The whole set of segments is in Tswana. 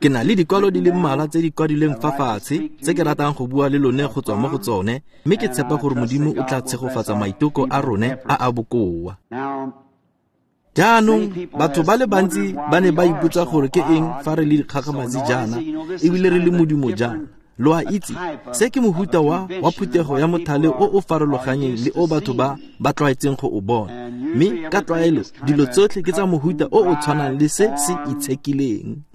Ke na le dikwalo di le mmalwa tse di kwadilweng fa fatshe tse ke ratang go bua le lone go tswa mo go tsone, mme ke tshepa gore Modimo o tla tshegofatsa maitoko a rone a a bokoa. Jaanong batho ba le bantsi ba ne ba ipotsa gore ke eng fa re le dikgakgamatsi jaana ebile re le modimo jaana. Lo a itse, se ke mohuta wa phuthego ya mothale o o farologanyeng le o batho ba tlwaetseng go o bona. Mme ka tlwaelo dilo tsotlhe ke tsa mohuta o o tshwanang le se se itshekileng.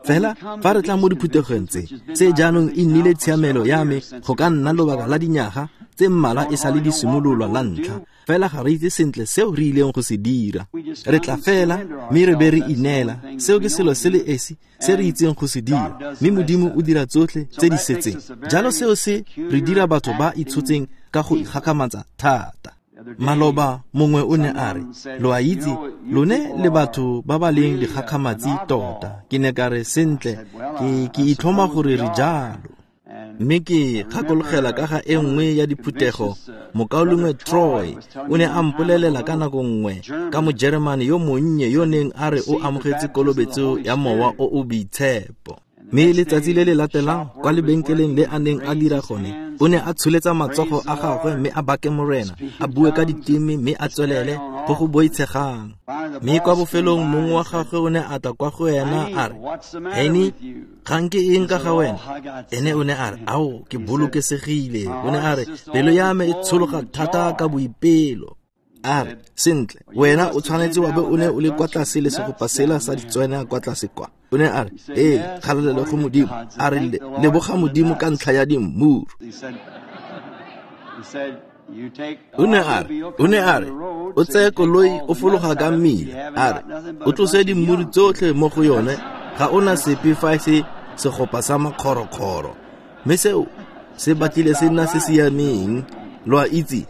Fela fa re tla mo diphuthegong tse, se jaanong e nnile tshiamelo ya me go ka nna lobaka la dinyaga tse mmalwa e sa le di simololwa la ntlha. Fela ga re itse sentle seo re ileng go se dira. Re tla fela mme re be re ineela. Seo ke selo se le esi se re itseng go se dira, mme Modimo o dira tsotlhe tse di setseng. Jalo seo se re dira batho ba itshotseng ka go ikgakgamatsa thata. Maloba mongwe o ne a re, lo a itse, lone le batho ba ba leng dikgakgamatsi tota. Ke ne ka re, sentle, ke itlhoma gore re jalo. Mme ke gakologela ka ga e nngwe ya diphuthego, mokaulengwe Troy o ne a mpolelela ka nako nngwe ka Mojeremane yo monnye yo neng a re o amogetse kolobetso ya mowa o o boitshepo. Mme letsatsi le le latelang kwa lebenkeleng le a neng a dira gone, o ne a tsholetsa matsogo a gagwe mme a bake Morena, a bue ka diteme mme a tswelele go go boitshegang. Mme kwa bofelong mongwe wa gagwe o ne a tla kwa go ena a re, Henny, kgang ke eng ka ga wena? Ene o ne a re, ao, ke bolokesegile. O ne a re, pelo ya me e tshologa thata ka boipelo. A re, sentle, wena o tshwanetse wa be o ne o le kwa tlase le segopa sela sa ditswena kwa tlase kwa. O ne a re, ee, kgalalelo go Modimo. A re, leboga Modimo ka ntlha ya dimmuru. O ne a re, o tseye koloi o fologa ka mmila. A re, o tlose dimmuru tsotlhe mo go yone, ga o na sepe fa e se segopa sa makgorokgoro. Mme seo se batlile se nna se siameng, lo a itse.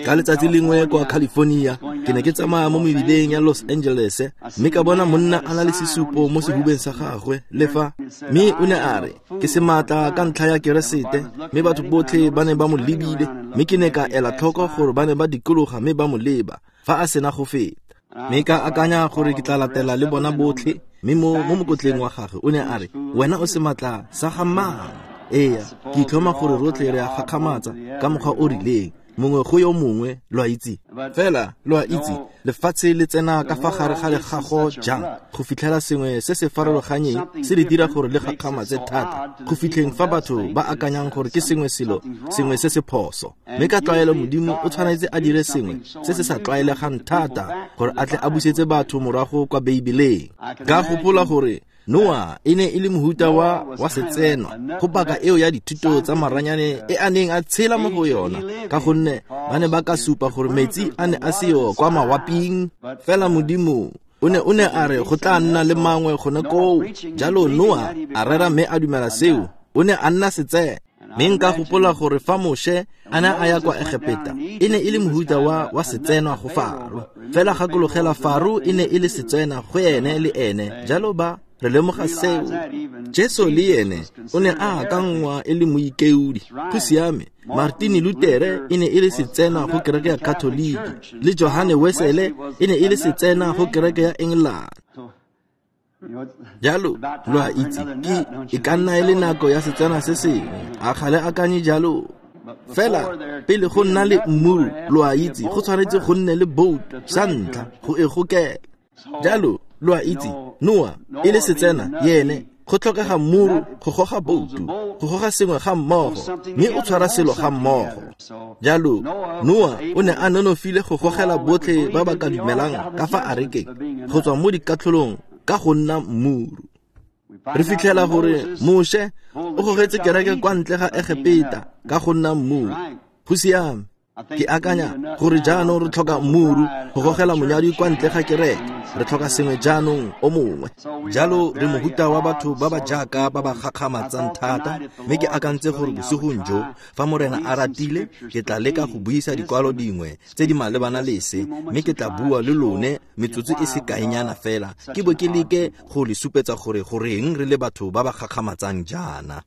Ka letsatsi lengwe kwa California, ke ne ke tsamaya mo mebileng ya Los Angeles, mme ka bona monna a na le sesupo mo sehubeng sa gagwe le fa. Mme o ne a re, ke sematla ka ntlha ya Keresete, mme batho botlhe ba ne ba mo lebile, mme ke ne ka ela tlhoko gore ba ne ba dikologa mme ba mo leba fa a sena go feta. Mme ka akanya gore ke tla latela le bona botlhe, mme mo mokotleng wa gagwe o ne a re, wena o sematla sa ga mang? Eya, ke itlhoma gore rotlhe re a gakgamatsa ka mokgwa o rileng, mongwe go yo mongwe, lo a itse. Fela, lo a itse, lefatshe le tsena ka fa gare ga legago jang go fitlhela sengwe se se farologanyeng se le dira gore le gakgamatse thata, go fitlheng fa batho ba akanyang gore ke sengwe selo, sengwe se se phoso. Mme ka tlwaelo Modimo o tshwanetse a dire sengwe se se sa tlwaelegang thata gore a tle a busetse batho morago kwa Beibeleng. Ka gopola gore Noah e ne e le mohuta wa setsenwa go paka eo ya dithuto tsa maranyane e a neng a tshela mo go yona, ka gonne ba ne ba ka supa gore metsi a ne a seo kwa mawaping. Fela Modimo o ne a re go tla nna le mangwe gone koo. Jalo Noah a rera mme a dumela seo, o ne a nna setsenwa. Mme nka gopola gore fa Moshe a ne a ya kwa Egepeta, e ne e le mohuta wa setsenwa go Faro. Fela gakologela, Faro e ne e le setsenwa go ene le ene, jalo ba re lemoga seo. Jesu le ene o ne a akangwa e le moikeodi. Go siame, Martin Luther e ne e le setsenwa go kereke ya Katoliki, le Johane Wesley e ne e le setsenwa go kereke ya England. Jalo, lo a itse, ke e ka nna e le nako ya setswana se sengwe, a ga le akanye jalo? Fela pele go nna le mmuru, lo a itse, go tshwanetse go nne le boat sa ntlha go e gokela. Jalo, lo a itse, Noah e le setsena yene, go tlhokega mmuru go goga boutu, go goga sengwe ga mmogo, mme o tshwara selo ga mmogo. Jalo, Noah o ne a nonofile go gogela botlhe ba ba ka dumelang ka fa arekeng go tswa mo dikatlholong ka go nna mmuru. Re fitlhela gore Moshe o gogetse kereke kwa ntle ga Egepeta ka go nna mmuru. Go siame. Ke akanya gore jaanong re tlhoka mmuru go gogela monyadi kwa ntle ga kereke. Re tlhoka sengwe jaanong o mongwe. Jalo re mohuta wa batho ba ba jaaka ba ba gakgamatsang thata, mme ke akantse gore bosigong jo, fa Morena a ratile, ke tla leka go buisa dikwalo dingwe tse di malebana le se, mme ke tla bua le lone metsotso e se kaenyana fela, ke bo ke leke go le supetsa gore goreng re le batho ba ba gakgamatsang jaana.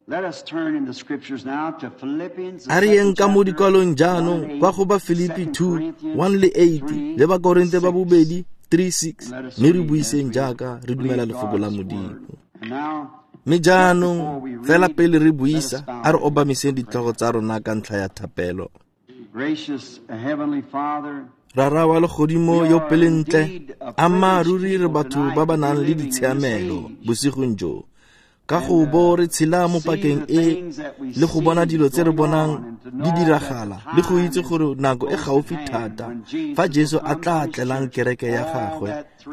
A re yeng ka mo dikwalong jaanong kwa go ba Filipi 2, 1 le 8, le ba Korinte ba bobedi 3, 6, mme re buiseng jaaka re dumela lefoko la Modimo. Mme jaanong fela pele re buisa, a re obamiseng ditlhogo tsa rona ka ntlha ya thapelo. Rara wa legodimo yo pelentle, ammaaruri re batho ba ba nang le ditshiamelo bosigong jo, ka go bo re tshela mo pakeng e le go bona dilo tse re bonang di diragala le go itse gore nako e gaufi thata fa Jesu a tla tlelang kereke ya gagwe.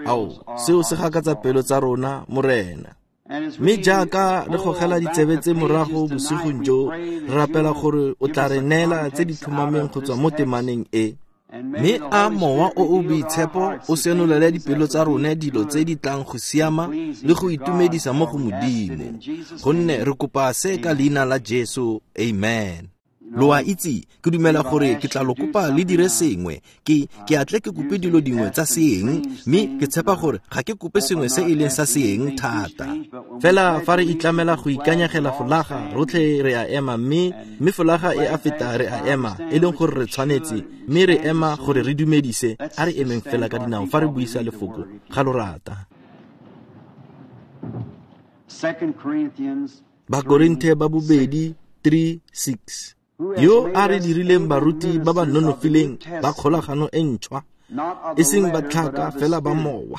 Ao, seo se gakatsa pelo tsa rona, Morena. Mme jaaka re gogela ditsebe tse morago bosigong jo, re rapela gore o tla re neela tse di tlhomameng go tswa mo temaneng e. Mme a Mowa o o Boitshepo o senolele dipelo tsa rone dilo tse di tlang go siama le go itumedisa mo go Modimo. Gonne re kopa se ka leina la Jesu. Amen. Lo a itse, ke dumela gore ke tla lo kopa le dire sengwe. Ke a tle ke kope dilo dingwe tsa seeng, mme ke tshepa gore ga ke kope sengwe se e leng sa seeng thata. Fela fa re itlamela go ikanyegela folaga, rotlhe re a ema, mme folaga e a feta re a ema, e leng gore re tshwanetse, mme re ema gore re dumedise. A re emeng fela ka dinao fa re buisa lefoko ga lo rata. Bakorinthe ba bobedi 3:6. Yo a re dirileng baruti ba ba nonofileng ba kgolagano e ntšhwa, e seng ba tlhaka fela ba mowa,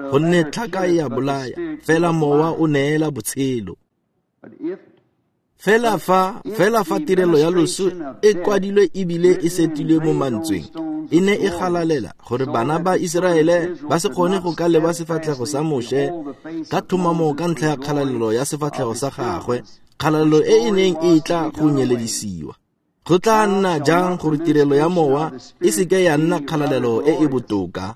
gonne tlhaka e a bolaya, fela mowa o neela botshelo. Fela fa tirelo ya loso e kwadilwe ebile e setilwe mo mantsweng, e ne e galalela gore bana ba Iseraele ba se kgone go ka leba sefatlhego sa Moshe ka tlhomamo ka ntlha ya kgalalelo ya sefatlhego sa gagwe, kgalalelo e e neng e tla go nyeledisiwa. Go tla nna jang gore tirelo ya mowa e seke ya nna kgalalelo e e botoka?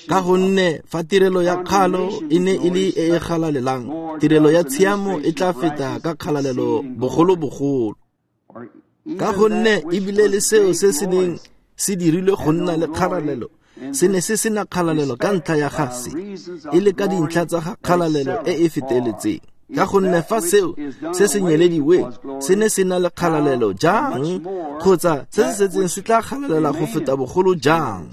Ka gonne fa tirelo ya kgalo e ne e le e e galalelang, tirelo ya tshiamo e tla feta ka kgalalelo bogolobogolo. Ka gonne ebile le seo se se neng se dirilwe go nna le kgalalelo se ne se sena kgalalelo ka ntlha ya ga se, e le ka dintlha tsa ga kgalalelo e e feteletseng. Ka gonne fa seo se se nyelediweng se ne se na le kgalalelo jang, kgotsa se se setseng se tla galalela go feta bogolo jang?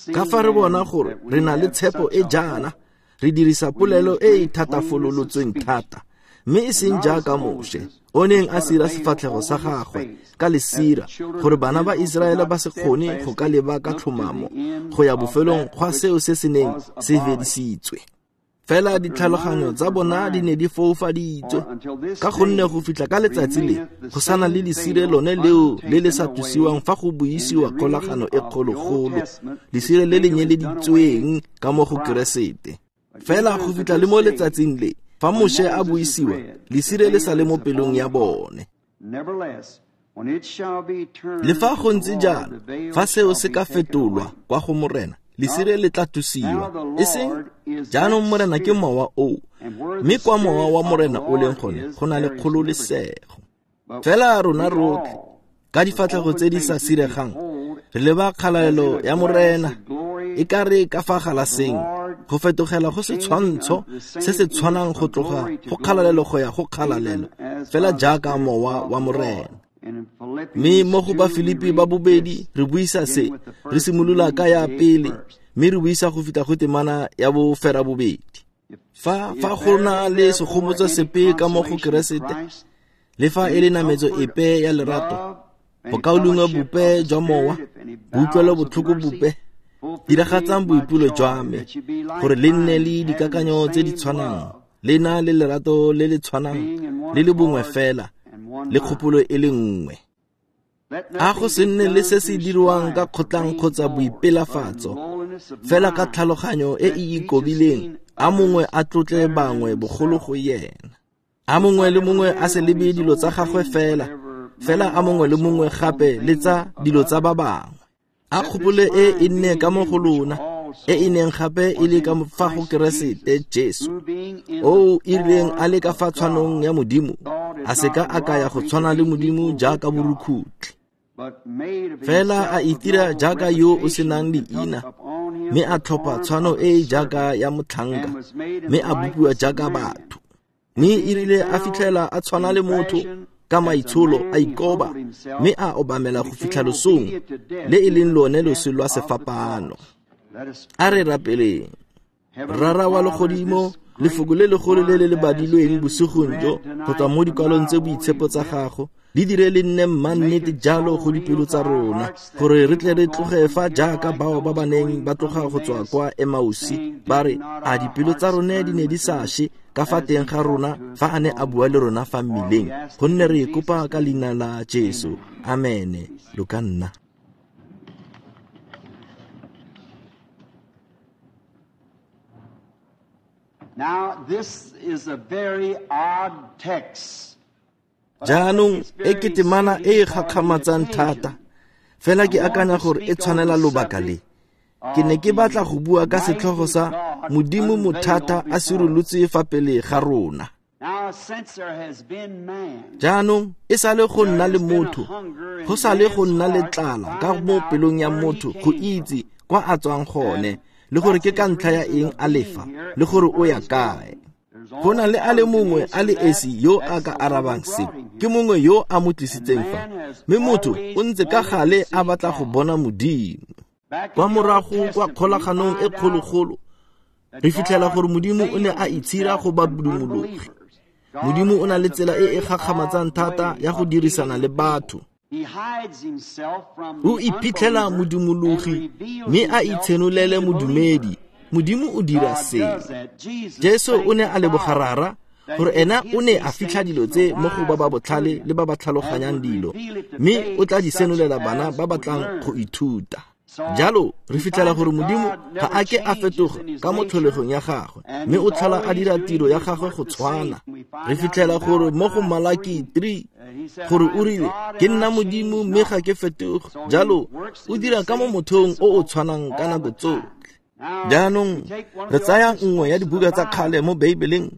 Ka fa re bona gore re na le tshepo e jaana, re dirisa polelo e e thatafololotsweng thata, mme e seng jaaka Moshe o neng a sira sefatlhego sa gagwe ka lesira gore bana ba Iseraele ba se kgone go ka leba ka tlhomamo go ya bofelong gwa seo se se neng se fedisitswe. Fela ditlhaloganyo tsa bona di ne di foufaditswe, ka gonne go fitlha ka letsatsi le go sana le lesire lone leo le le sa tlosiwang fa go buisiwa kgolagano e kgologolo, lesire le le nyeleditsweng ka mo go Keresete. Fela go fitlha le mo letsatsing le fa Moshe a buisiwa, lesire le sa le mo pelong ya bone. Le fa go ntse jalo, fa seo se ka fetolwa kwa go Morena, lesire le tla tlosiwa. E seng jaanong Morena ke mowa oo, mme kwa mowa wa Morena o leng gone go na le kgololesego. Fela rona rotlhe ka difatlhego tse di sa siregang re leba kgalalelo ya Morena e ka re ka fa galaseng, go fetogela go setshwantsho se se tshwanang go tloga go kgalalelo go ya go kgalalelo, fela jaaka mowa wa Morena. Mme mo go Bafilipi ba bobedi re buisa se, re simolola ka ya pele, mme re buisa go fitlha go temana ya bofera bobedi. Fa go na le segomotso sepe ka mo go Keresete, le fa e le nametso epe ya lerato, bokaulengwe bope jwa mowa, boutlwelo botlhoko bope, diragatsang boipelo jwa me, gore le nne le dikakanyo tse di tshwanang, le na le lerato le le tshwanang, le le bongwe fela, le kgopolo e le nngwe. A go se nne le se se diriwang ka kgotlang kgotsa boipelafatso, fela ka tlhaloganyo e e ikobileng, a mongwe a tlotle bangwe bogolo go yena. A mongwe le mongwe a se lebe dilo tsa gagwe fela, fela a mongwe le mongwe gape le tsa dilo tsa ba bangwe. A kgopolo e e nne ka mo go lona, e e neng gape e le ka fa go Keresete Jesu, o e rileng a le ka fa tshwanong ya Modimo, a se ka a kaya go tshwana le Modimo jaaka borukhutlhi. Fela a itira jaaka yo o senang leina, mme a tlhopha tshwano e e jaaka ya motlhanka, mme a bopiwa jaaka batho. Mme e rile a fitlhela a tshwana le motho ka maitsholo, a ikoba, mme a obamela go fitlha losong, le e leng lone loso lwa sefapano. A re rapeleng. Rara wa legodimo, lefoko le legolo le le badilweng bosigong jo go tswa mo dikwalong tse boitshepo tsa gago, le dire le nne mmannete jalo go dipelo tsa rona, gore re tle re tloge fa jaaka bao ba ba neng ba tloga go tswa kwa Emausi, ba re, a dipelo tsa rone di ne di sa she ka fa teng ga rona fa a ne a bua le rona fa mmileng, gonne re e kopa ka leina la Jesu. Amene. Lo ka nna. Now, this is a very odd text. Jaanong e ke temana e e gakgamatsang thata, fela ke akanya gore e tshwanela lobaka le. Ke ne ke batla go bua ka setlhogo sa Modimo Mothata a sirolotse fa pele ga rona. Jaanong e sale go nna le motho, go sale go nna le tlala ka mo pelong ya motho go itse kwa a tswang gone, le gore ke ka ntlha ya eng a lefa, le gore o ya kae. Go na le a le mongwe a le esi yo a ka arabang se, ke mongwe yo a mo tlisitseng fa, mme motho o ntse ka gale a batla go bona Modimo. Kwa morago kwa kgolaganong e kgologolo, re fitlhela gore Modimo o ne a itshira go badumologi. Modimo o na le tsela e e gakgamatsang thata ya go dirisana le batho. O iphitlhela modumologi mme a itshenolele modumedi. Modimo o dira seo. Jesu o ne a leboga Rara gore ena o ne a fitlha dilo tse mo go ba ba botlhale le ba ba tlhaloganyang dilo, mme o tla di senolela bana ba ba tlang go ithuta. Jalo re fitlhela gore Modimo ga a ke a fetoga ka mo tlholegong ya gagwe, mme o tlhola a dira tiro ya gagwe go tshwana. Re fitlhela gore mo go Malaki 3 gore o rile, ke nna Modimo mme ga ke fetoge. Jalo o dira ka mo mothong o o tshwanang ka nako tsotlhe. Jaanong re tsaya nngwe ya dibuka tsa kgale mo Beibeleng,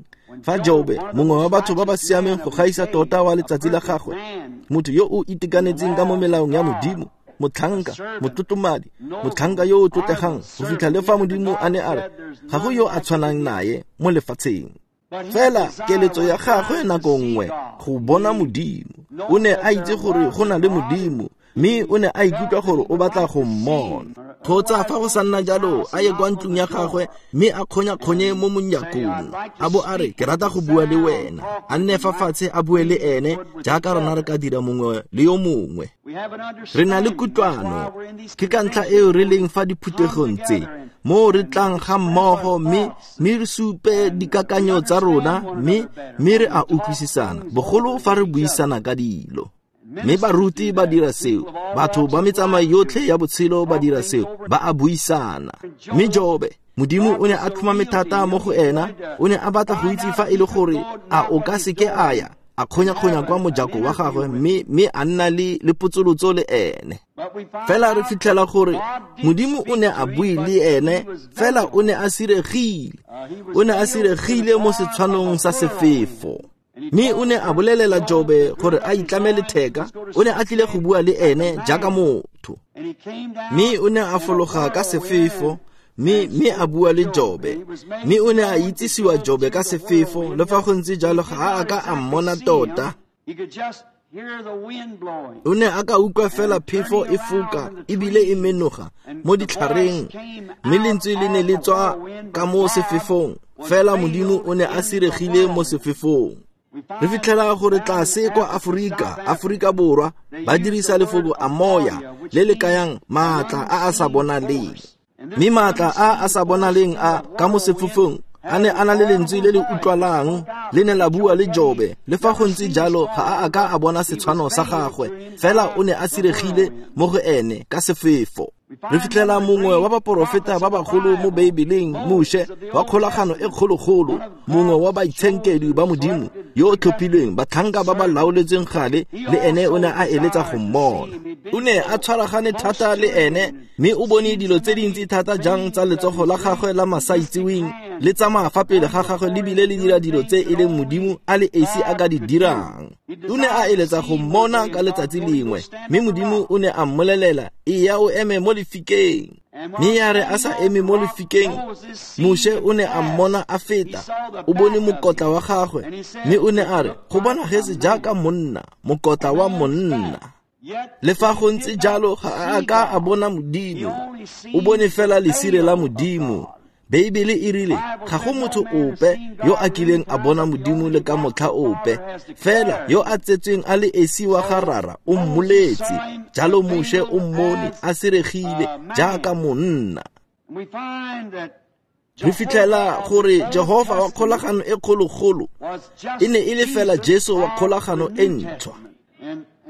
fa Jobe, mongwe wa batho ba ba siameng go gaisa tota wa letsatsi la gagwe, motho yo o itekanetseng ka mo melaong ya Modimo, motlhanka, motlotlomadi, motlhanka yo o tlotlegang, go fitlha le fa Modimo a ne a re ga go yo a tshwanang naye mo lefatsheng. Fela keletso ya gagwe nako nngwe go bona Modimo, o ne a itse gore go na le Modimo, mme o ne a ikutlwa gore o batla go mmona. Kgotsa fa go sa nna jalo, a ye kwa ntlong ya gagwe mme a kgonya-kgonye mo monyakong, a bo a re, ke rata go bua le wena. A nne fa fatshe a bue le ene jaaka rona re ka dira mongwe le yo mongwe. Re na le kutlwano, ke ka ntlha eo re leng fa diphuthegong tse, mo re tlang ga mmogo mme re supe dikakanyo tsa rona, mme re a utlwisisana, bogolo fa re buisana ka dilo. Mme baruti ba dira seo, batho ba metsamao yotlhe ya botshelo ba dira seo, ba a buisana. Mme Jobe, Modimo o ne a tlhomame thata mo go ena, o ne a batla go itse fa e le gore a o ka seke a ya, a kgonya-kgonya kwa mojako wa gagwe, mme a nna le potsolotso le ene. Fela re fitlhela gore Modimo o ne a bue le ene, fela o ne a siregile. O ne a siregile mo setshwanong sa sefefo. Mme o ne a bolelela Jobe gore a itlame letheka, o ne a tlile go bua le ene jaaka motho. Mme o ne a fologa ka sefefo, mme a bua le Jobe. Mme o ne a itsisiwa Jobe ka sefefo, le fa go ntse jalo ga a ka a mmona tota. O ne a ka utlwa fela phefo e foka ebile e menoga mo ditlhareng, mme lentswe le ne le tswa ka mo sefefong, fela Modimo o ne a siregile mo sefefong. Re fitlhela gore tlase kwa Aforika Borwa, ba dirisa lefoko amoya le le kayang maatla a a sa bonaleng. Mme maatla a a sa bonaleng a ka mo sefefong a ne a na le lentswe le le utlwalang, le ne la bua le Jobe. Le fa go ntse jalo ga a ka a bona setshwano sa gagwe, fela o ne a siregile mo go ene ka sefefo. Re fitlhela mongwe wa baporofeta ba bagolo mo Beibeleng, Moshe, wa kgolagano e kgologolo, mongwe wa baitshenkedwi ba Modimo yo o tlhophilweng, batlhanka ba ba laoletsweng gale, le ene o ne a eletsa go mmona. O ne a tshwaragane thata le ene, mme o bone dilo tse dintsi thata jang tsa letsogo la gagwe la masaitseweng le tsamaya fa pele ga gagwe le bile le dira dilo tse e leng Modimo a le esi a ka di dirang. O ne a eletsa go mmona ka letsatsi lengwe, mme Modimo o ne a mmolelela, eya o eme mo lefikeng. Mme ya re a sa eme mo lefikeng, Moshe o ne a mmona a feta, o bone mokotla wa gagwe, mme o ne a re, go bonagetse jaaka monna, mokotla wa monna. Le fa go ntse jalo ga a ka a bona Modimo, o bone fela lesire la Modimo. Beibele e rile ga go motho ope yo a kileng a bona Modimo le ka motlha ope, fela yo a tsetsweng a le esi wa ga Rara o mmoletse. Jalo Moshe o mmone a siregile jaaka monna. Re fitlhela gore Jehofa wa kgolagano e kgologolo e ne e le fela Jesu wa kgolagano e ntšhwa.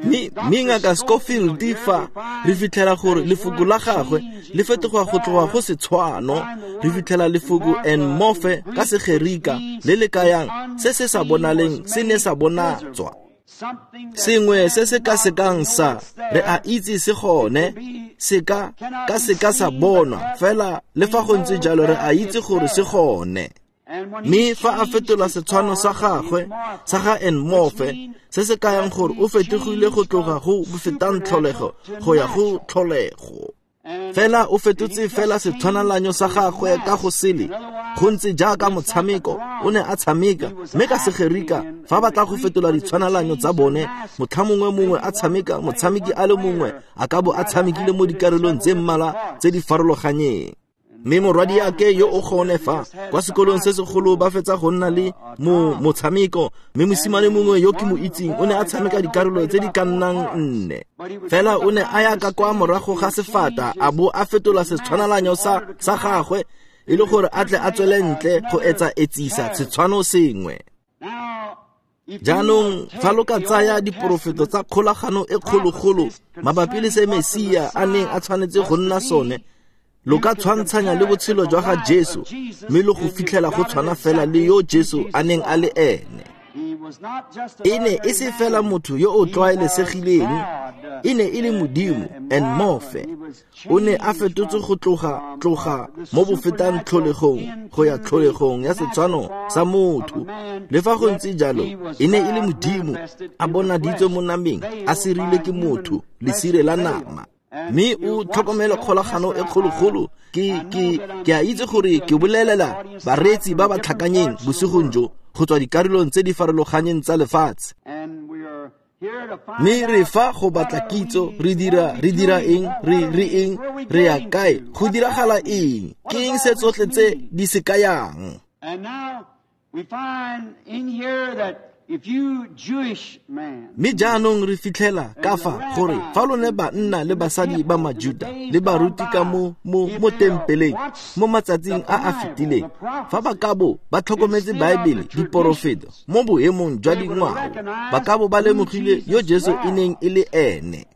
Mme Ngaka Scofield fa re fitlhela gore lefoko la gagwe le fetoga go tloga go setshwano, re fitlhela lefoko en morphe ka Segerika le le kayang se se sa bonaleng se ne sa bonatswa. Sengwe se se ka sekang sa re a itse se gone, se ka seka sa bonwa, fela le fa go ntse jalo re a itse gore se gone. Mme fa a fetola setshwano sa gagwe sa ga en morphe, se se kayang gore o fetogile go tloga go bofetang tlholego go ya go tlholego. Fela o fetotse fela setshwanalanyo sa gagwe ka go sele, go ntse jaaka motshameko o ne a tshameka, mme ka Segerika fa ba tla go fetola ditshwanalanyo tsa bone, motlha mongwe a tshameka, motshameki a le mongwe a ka bo a tshamekile mo dikarolong tse mmalwa tse di farologanyeng. Mme morwadiake yo o gone fa kwa sekolong se segolo ba fetsa go nna le motshameko, mme mosimane mongwe yo ke mo itseng o ne a tshameka dikarolo tse di ka nnang 4. Fela o ne a ya ka kwa morago ga sefata a bo a fetola setshwanalanyo sa gagwe e le gore a tle a tswele ntle go etsa etsisa setshwano sengwe. Jaanong fa lo ka tsaya diporofeto tsa kgolagano e kgologolo mabapi le se Mesia a neng a tshwanetse go nna sone, lo ka tshwantshanya le botshelo jwa ga Jesu, mme lo go fitlhela go tshwana fela le yo Jesu a neng a le ene. E ne e se fela motho yo o tlwaelesegileng, e ne e le Modimo en morphe. O ne a fetotse go tloga mo bofetang tlholegong go ya tlholegong ya setshwano sa motho. Le fa go ntse jalo, e ne e le Modimo a bonaditswe mo nameng, a sirile ke motho, lesire la nama. Mme o tlhokomele kgolagano e kgologolo. Ke a itse gore ke bolelela bareetsi ba ba tlhakanyeng bosigong jo go tswa dikarolong tse di farologanyeng tsa lefatshe. Mme re fa go batla kitso, re dira eng, re eng, re ya kae, go diragala eng, ke eng se tsotlhe tse di se kayang. Mme jaanong re fitlhela ka fa gore fa lone banna le basadi ba Majuda le baruti ka mo tempeleng mo matsatsing a a fetileng, fa ba ka bo ba tlhokometse Baebele diporofeto mo boemong jwa dingwao, ba ka bo ba lemogile yo Jesu e neng e le ene.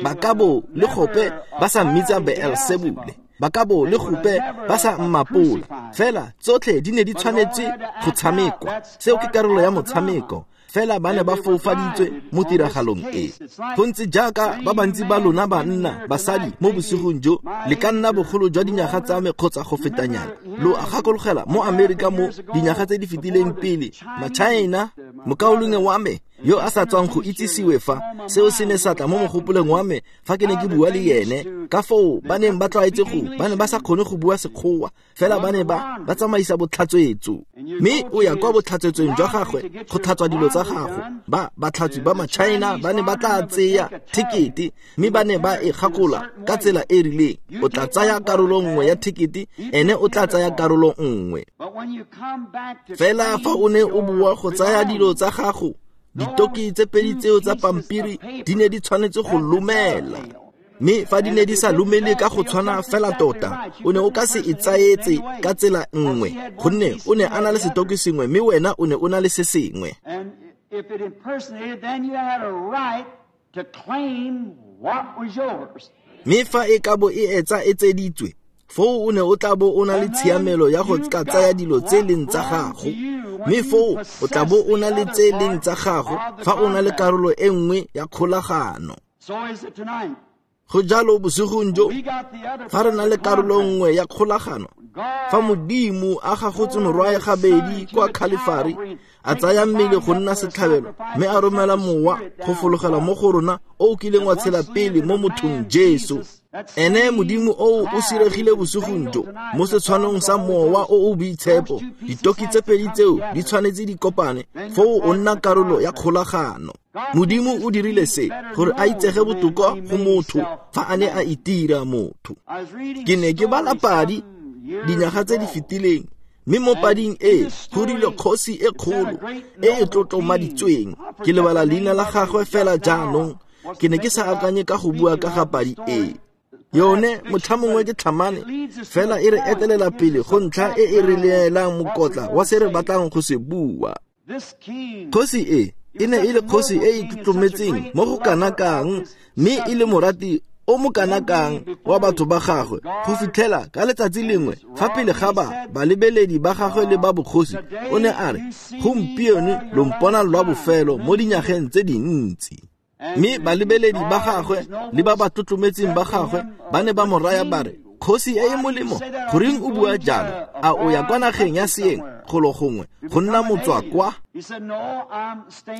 Ba ka bo le gope ba sa mmitsa Beelsebule, ba ka bo le gope ba sa mmapola, fela tsotlhe di ne di tshwanetse go tshamekwa. Seo ke karolo ya motshameko, fela ba ne ba foufaditswe mo tiragalong e. Go ntse jaaka ba bantsi ba lona banna, basadi mo bosigong jo, le ka nna bogolo jwa dinyaga tsa me kgotsa go fetanyana. Lo a gakologela mo Amerika mo dinyaga tse di fetileng pele, ma-China, mokaulengwe wa me yo a sa tswang go itsisiwe fa, seo se ne sa tla mo mogopolong wa me fa ke ne ke bua le yene, ka foo ba neng ba tlwaetse go, ba ne ba sa kgone go bua Sekgowa, fela ba ne ba tsamaisa botlhatswetso. Mme o ya kwa botlhatswetsong jwa gagwe go tlhatswa dilo tsa gago. Ba batlhatswi ba ma-China ba ne ba tla tseya thekete, mme ba ne ba e gakola ka tsela e rileng. O tla tsaya karolo nngwe ya thekete, ene o tla tsaya karolo nngwe. Fela fa o ne o boa go tsaya dilo tsa gago, ditoki tse pedi tseo tsa pampiri di ne di tshwanetse go lomela. Mme fa di ne di sa lomele ka go tshwana fela tota, o ne o ka se e tsaetse ka tsela nngwe, gonne o ne a na le setoki sengwe mme wena o ne o na le se sengwe. Mme fa e ka bo e etsa e tseditswe, foo o ne o tla bo o na le tshiamelo ya go ka tsaya dilo tse leng tsa gago, mme foo o tla bo o na le tse leng tsa gago fa o na le karolo e nngwe ya kgolagano. Go jalo bosigong jo, fa re na le karolo nngwe ya kgolagano, fa Modimo a gagotse morwae gabedi kwa Khalifari, a tsaya mmele go nna setlhabelo, mme a romela mowa go fologela mo go rona o o kileng wa tshela pele mo mothong Jesu. Ene Modimo o o siregile bosigong jo mo setshwanong sa mowa o o boitshepo. Ditoki tse pedi tseo di tshwanetse di kopane, foo o nna karolo ya kgolagano. Modimo o dirile se gore a itsege botoka go motho fa a ne a itira motho. Ke ne ke bala padi dinyaga tse di fetileng, mme mo pading e go rilwe kgosi e kgolo e e tlotlomaditsweng. Ke lebala leina la gagwe fela jaanong, ke ne ke sa akanye ka go bua ka ga padi e. Yone motlhamongwe ke tlhamane, fela e re etelela pele go ntlha e e re leelang mokotla wa se re batlang go se bua. Kgosi e e ne e le kgosi e e tlotlometseng mo go kana kang, mme e le morati o mo kana kang wa batho ba gagwe, go fitlhela ka letsatsi lengwe fa pele ga ba balebeledi ba gagwe le ba bogosi, o ne a re, gompieno lo mpona lwa bofelo mo dinyageng tse dintsi. Mme balebeledi ba gagwe le ba ba tlotlometseng ba gagwe ba ne ba mo raya ba re, kgosi e e molemo, goreng o bua jalo? A o ya kwa nageng ya seeng golo gongwe go nna motswa kwa?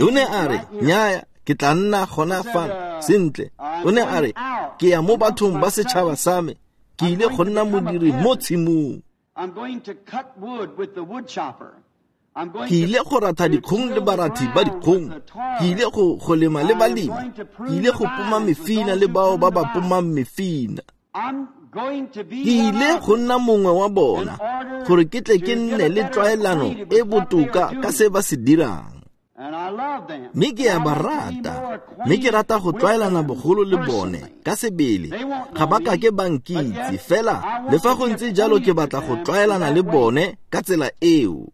O ne a re, nnyaya, ke tla nna gona fano. Sentle, o ne a re, ke ya mo bathong ba setšhaba sa me, ke ile go nna modiri mo tshimong. Ke ile go ratha dikgong le barathi ba dikgong, ke ile go lema le balemi, ke ile go poma mefina le bao ba ba pomang mefina. Ke ile go nna mongwe wa bona, gore ke tle ke nne le tlwaelano e botoka ka se ba se dirang. Mme ke a ba rata, mme ke rata go tlwaelana bogolo le bone ka sebele. Ga ba ka ke ba nkitse, fela le fa go ntse jalo ke batla go tlwaelana le bone ka tsela eo.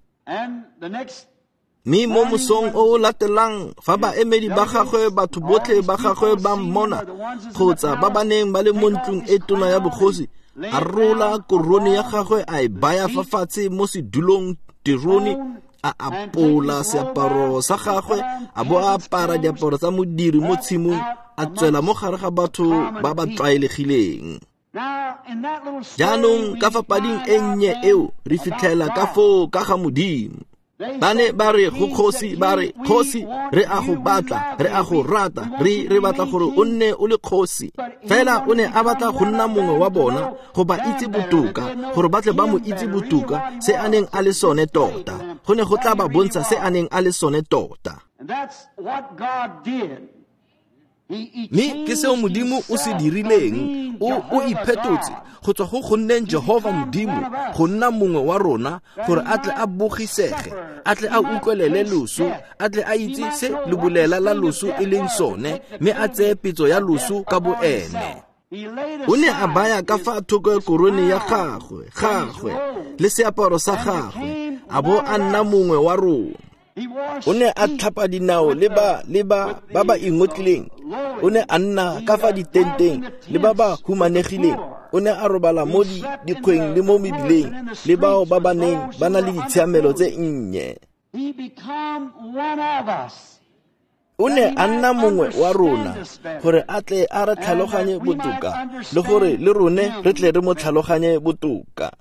Mme mo mosong o o latelang, fa baemedi ba gagwe, batho botlhe ba gagwe ba mmona, kgotsa ba ba neng ba le mo ntlong e tona ya bogosi, a rola korone ya gagwe a e baya fa fatshe mo sedulong terone, a apola seaparo sa gagwe, a bo a apara diaparo tsa modiri mo tshimong, a tswela mo gare ga batho ba ba tlwaelegileng. Jaanong ka fa pading e nnye eo re fitlhela ka foo ka ga Modimo. Ba ne ba re go kgosi, ba re, kgosi, re a go batla, re a go rata, re batla gore o nne o le kgosi. Fela o ne a batla go nna mongwe wa bona, go ba itse botoka, gore ba tle ba mo itse botoka se a neng a le sone tota. Go ne go tla ba bontsha se a neng a le sone tota. Mme ke seo Modimo o se dirileng, o iphetotse go tswa go go nneng Jehova Modimo, go nna mongwe wa rona, gore a tle a bogisege, a tle a utlwelele loso, a tle a itse se lebolela la loso e leng sone, mme a tseye petso ya loso ka boene. O ne a baya ka fa thoko korone ya gagwe le seaparo sa gagwe, a bo a nna mongwe wa rona. O ne a tlhapa dinao le ba ba ingotlileng. O ne a nna ka fa ditenteng le ba ba humanegileng. O ne a robala mo dikgweng le mo mebileng le bao ba ba neng ba na le ditshiamelo tse nnye. O ne a nna mongwe wa rona, gore a tle a re tlhaloganye botoka, le gore le rone re tle re mo tlhaloganye botoka.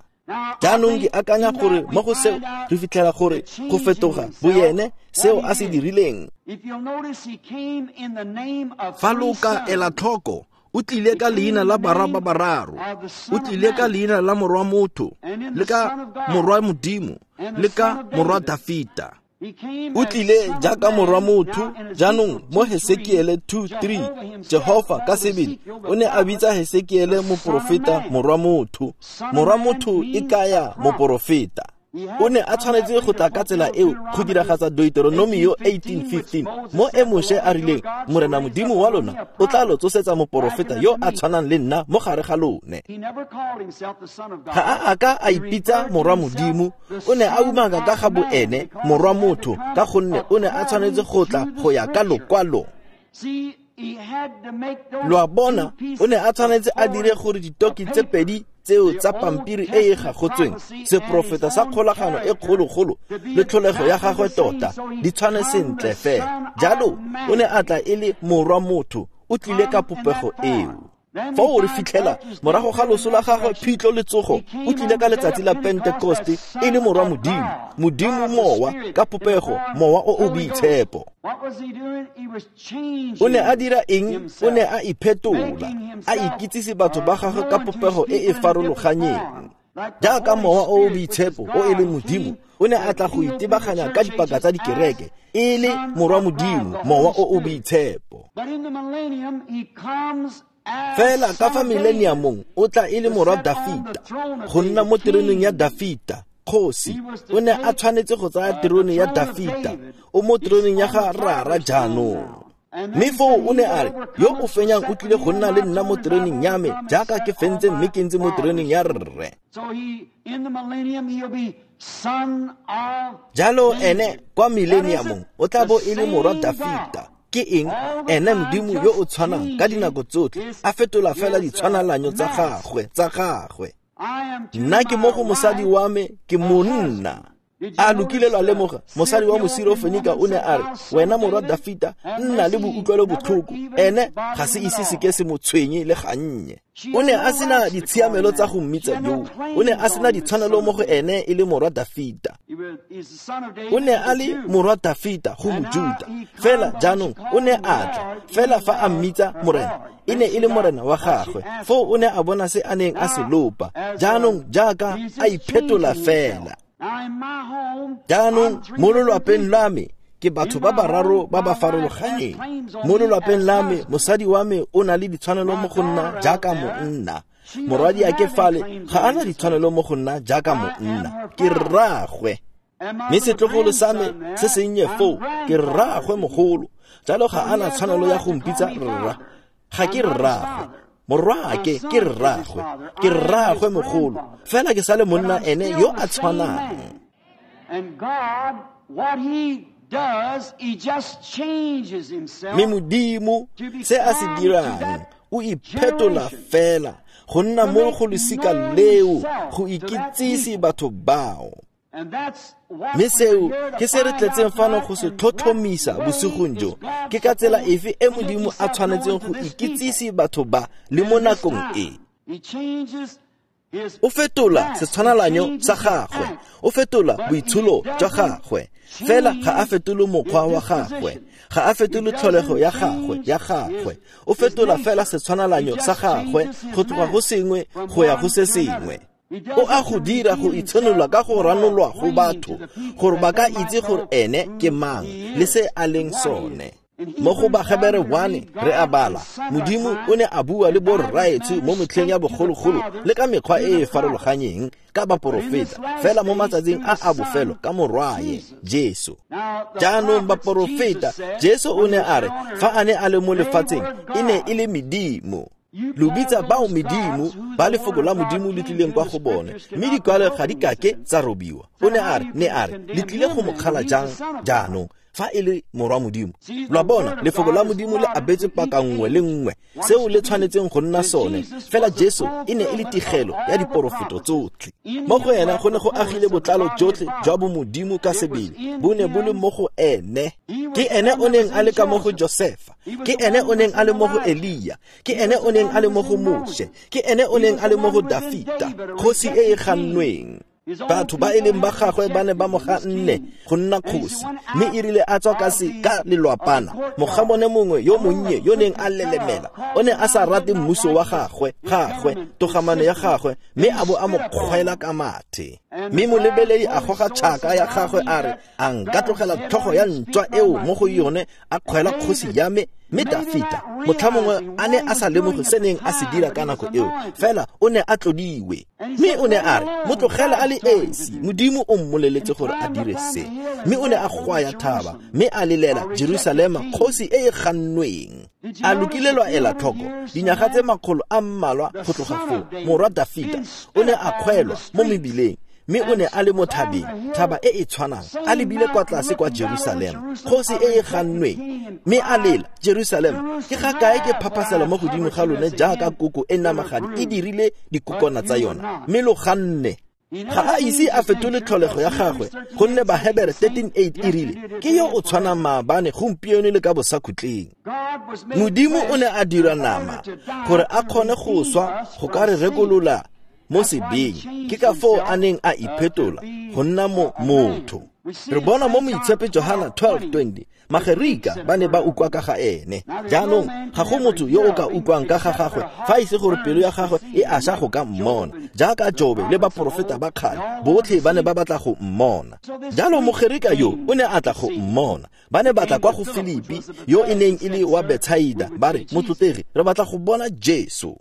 Jaanong ke akanya gore mo go seo re fitlhela gore go fetoga boyene seo a se dirileng. Fa lo ka ela tlhoko, o tlile ka leina la barwa ba bararo, o tlile ka leina la morwa motho, le ka morwa Modimo, le ka morwa Dafita. O tlile jaaka morwa motho. Jaanong mo Hesekiele 2:3, Jehova ka sebele o ne a bitsa Hesekiele moporofeta morwa motho. Morwa motho e kaya moporofeta. O ne a tshwanetse go tla ka tsela eo go diragatsa Deuteronomio 18:15, mo e Moshe a rileng, Morena Modimo wa lona o tla lo tsosetsa moporofeta yo a tshwanang le nna mo gare ga lone. Ga a ka a ipitsa morwa Modimo, o ne a umaka ka ga boene morwa motho, ka gonne o ne a tshwanetse go tla go ya ka lokwalo. Lo a bona, o ne a tshwanetse a dire gore ditoki tse pedi tseo tsa pampiri e e gagotsweng, seprofeta sa kgolagano e kgologolo le tlholego ya gagwe tota, di tshwane sentle fela. Jalo o ne a tla e le morwa motho, o tlile ka popego eo. Foo re fitlhela morago ga loso la gagwe, phitlho le tsogo, o tlile ka letsatsi la Pentekoste e le morwa Modimo, Modimo mowa ka popego, mowa o o boitshepo. O ne a dira eng? O ne a iphetola, a ikitsise batho ba gagwe ka popego e e farologanyeng. Jaaka mowa o o boitshepo o e leng Modimo, o ne a tla go itebaganya ka dipaka tsa dikereke e le morwa Modimo, mowa o o boitshepo. Fela ka fa mileniamong o tla e le morwa Dafita, go nna mo teroneng ya Dafita, kgosi. O ne a tshwanetse go tsaya terone ya Dafita, o mo teroneng ya ga Rara jaanong. Mme foo o ne a re, yo o fenyang o tlile go nna le nna mo teroneng ya me, jaaka ke fentse mme ke ntse mo teroneng ya Rre. Jalo ene kwa mileniamong o tla bo e le morwa Dafita. Ke eng? Ene Modimo yo o tshwanang ka dinako tsotlhe, a fetola fela ditshwanalanyo tsa gagwe. Nna ke mo go mosadi wa me, ke monna. A lo kile lwa lemoga, mosadi wa Mosirofenika o ne a re, wena morwa Dafita, nna le boutlwelo botlhoko. Ene ga se ise se ke se mo tshwenye le gannye. O ne a sena ditshiamelo tsa go mmitsa yoo. O ne a sena ditshwanelo mo go ene e le morwa Dafita. O ne a le morwa Dafita go Mojuta. Fela jaanong o ne a tla, fela fa a mmitsa morena, e ne e le morena wa gagwe. Foo o ne a bona se a neng a se lopa. Jaanong jaaka a iphetola fela. Jaanong mo lelwapeng la me ke batho ba bararo ba ba farologaneng. Mo lelwapeng la me mosadi wa me o na le ditshwanelo mo go nna jaaka monna. Morwadi a ke fale ga a na ditshwanelo mo go nna jaaka monna, ke rraagwe. Mme setlogolo sa me se sennye foo ke rraagwe mogolo, jalo ga a na tshwanelo ya go mpitsa rra. Ga ke rraagwe. Morwaake ke rraagwe, ke rraagwe mogolo, fela ke sa le monna ene yo a tshwanang. Mme Modimo se a se dirang, o iphetola fela go nna mo go losika leo, go ikitsise batho bao. Mme seo ke se re tletseng fano go se tlhotlhomisa bosigong jo, ke ka tsela efe e Modimo a tshwanetseng go ikitsise batho ba le mo nakong e. O fetola setshwanalanyo sa gagwe, o fetola boitsholo jwa gagwe, fela ga a fetole mokgwa wa gagwe, ga a fetole tlholego ya gagwe. O fetola fela setshwanalanyo sa gagwe go tloga go sengwe go ya go se sengwe. O a go dira go itshenola ka go ranolwa go batho, gore ba ka itse gore ene ke mang le se a leng sone. Mo go Bahebere 1 re a bala, Modimo o ne a bua le borraetsho mo metlheng ya bogologolo le ka mekgwa e e farologanyeng ka baporofeta, fela mo matsatsing a a bofelo ka morwaye Jesu. Jaanong baporofeta, Jesu o ne a re fa a ne a le mo lefatsheng e ne e le medimo. Lo bitsa bao medimo ba lefoko la Modimo le tlileng kwa go bone, mme dikwalo ga di kake tsa robiwa. O ne a re, le tlile go mo kgala jang jaanong fa e le morwa Modimo? Lwa bona, lefoko la Modimo le abetse paka nngwe le nngwe seo le tshwanetseng go nna sone. Fela Jesu e ne e le tigelo ya diporofeto tsotlhe. Mo go ena go ne go agile botlalo jotlhe jwa bomodimo ka sebele, bo ne bo le mo go ene. Ke ene o neng a le ka mo go Josefa, ke ene o neng a le mo go Elia, ke ene o neng a le mo go Moshe, ke ene o neng a le mo go Dafita, kgosi e e gannweng. Batho ba e leng ba gagwe ba ne ba mo ganne go nna kgosi, mme e rile a tswa ka lelwapana, mogabone mongwe yo monnye yo neng a lelemela, o ne a sa rate mmuso wa gagwe, togamano ya gagwe, mme a bo a mo kgwela ka mathe. Mme molebeledi a goga tšhaka ya gagwe a re, a nka tlogela tlhogo ya ntšwa eo mo go yone a kgwela kgosi ya me? Mme Dafita motlha mongwe a ne a sa lemoge se neng a se dira ka nako eo, fela o ne a tlodiwe. Mme o ne a re, mo tlogele a le esi, Modimo o mmoleletse gore a dire se. Mme o ne a gwaya thaba, mme a lelela Jerusalema kgosi e e gannweng. A lokile lwa ela tlhoko, dinyaga tse makgolo a mmalwa go tloga foo, morwa Dafita o ne a kgwelwa mo mebileng, mme o ne a le mo thabeng, thaba e e tshwanang, a lebile kwa tlase kwa Jerusalema, kgosi e e gannweng, mme a lela, Jerusalema, ke ga kae ke phaphasela mo godimo ga lone jaaka koko e namagadi e dirile dikokwana tsa yona, mme lo ganne. Ga a ise a fetole tlholego ya gagwe, gonne Bahebere 13:8 e rile, ke yo o tshwanang maabane, gompieno le ka bosakhutleng. Modimo o ne a dira nama gore a kgone go swa go ka re rekolola mo sebeng. Ke ka foo a neng a iphetola go nna motho. Re bona mo Moitshepe Johana 12:20, Magerika ba ne ba utlwa ka ga ene. Jaanong ga go motho yo o ka utlwang ka ga gagwe fa e se gore pelo ya gagwe e aša go ka mmona. Jaaka Jobe le baporofeta ba kgale, botlhe ba ne ba batla go mmona. Jalo Mogerika yo o ne a tla go mmona. Ba ne ba tla kwa go Filipi, yo e neng e le wa Betsaida, ba re, "Motlotlegi, re batla go bona Jesu."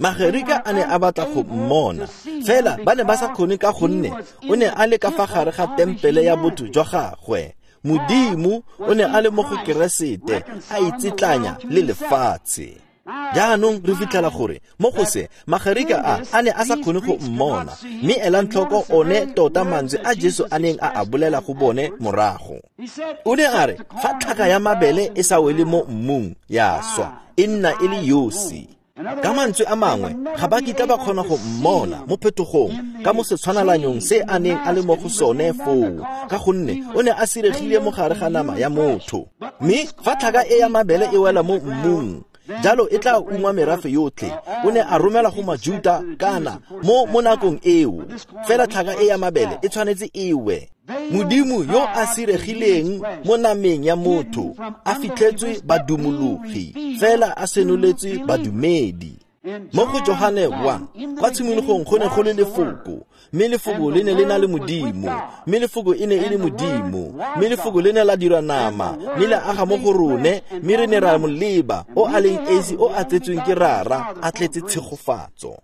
Magerika a ne a batla go mmona, fela ba ne ba sa kgone ka gonne o ne a le ka fa gare ga tempele ya botho jwa gagwe. Modimo o ne a le mo go Keresete, a itsetlanya le lefatshe. Jaanong re fitlhela gore mo go se Magerika a ne a sa kgone go mmona, mme elang tlhoko one tota mantswe a Jesu a neng a a bolela go bone morago. O ne a re, fa tlhaka ya mabele e sa wele mo mmung ya swa, e nna e le yosi. Ka mantswe a mangwe, ga ba kitla ba kgona go mmona mo phetogong ka mo setshwanalanyong se a neng a le mo go sone foo, ka gonne o ne a siregile mo gare ga nama ya motho. Mme fa tlhaka e ya mabele e wela mo mmung, jalo e tla ungwa merafe yotlhe. O ne a romela go Majuta kana mo nakong eo, fela tlhaka e ya mabele e tshwanetse e we. Modimo yo a siregileng mo nameng ya motho, a fitlhetswe badumologi, fela a senoletswe badumedi. Mo go Johane 1, kwa tshimologong go ne go le lefoko, mme lefoko le ne le na le Modimo, mme lefoko e ne e le Modimo, mme lefoko le ne la dirwa nama, mme la aga mo go rone, mme re ne ra mo leba, o a leng esi o a tsetsweng ke Rara, a tletse tshegofatso.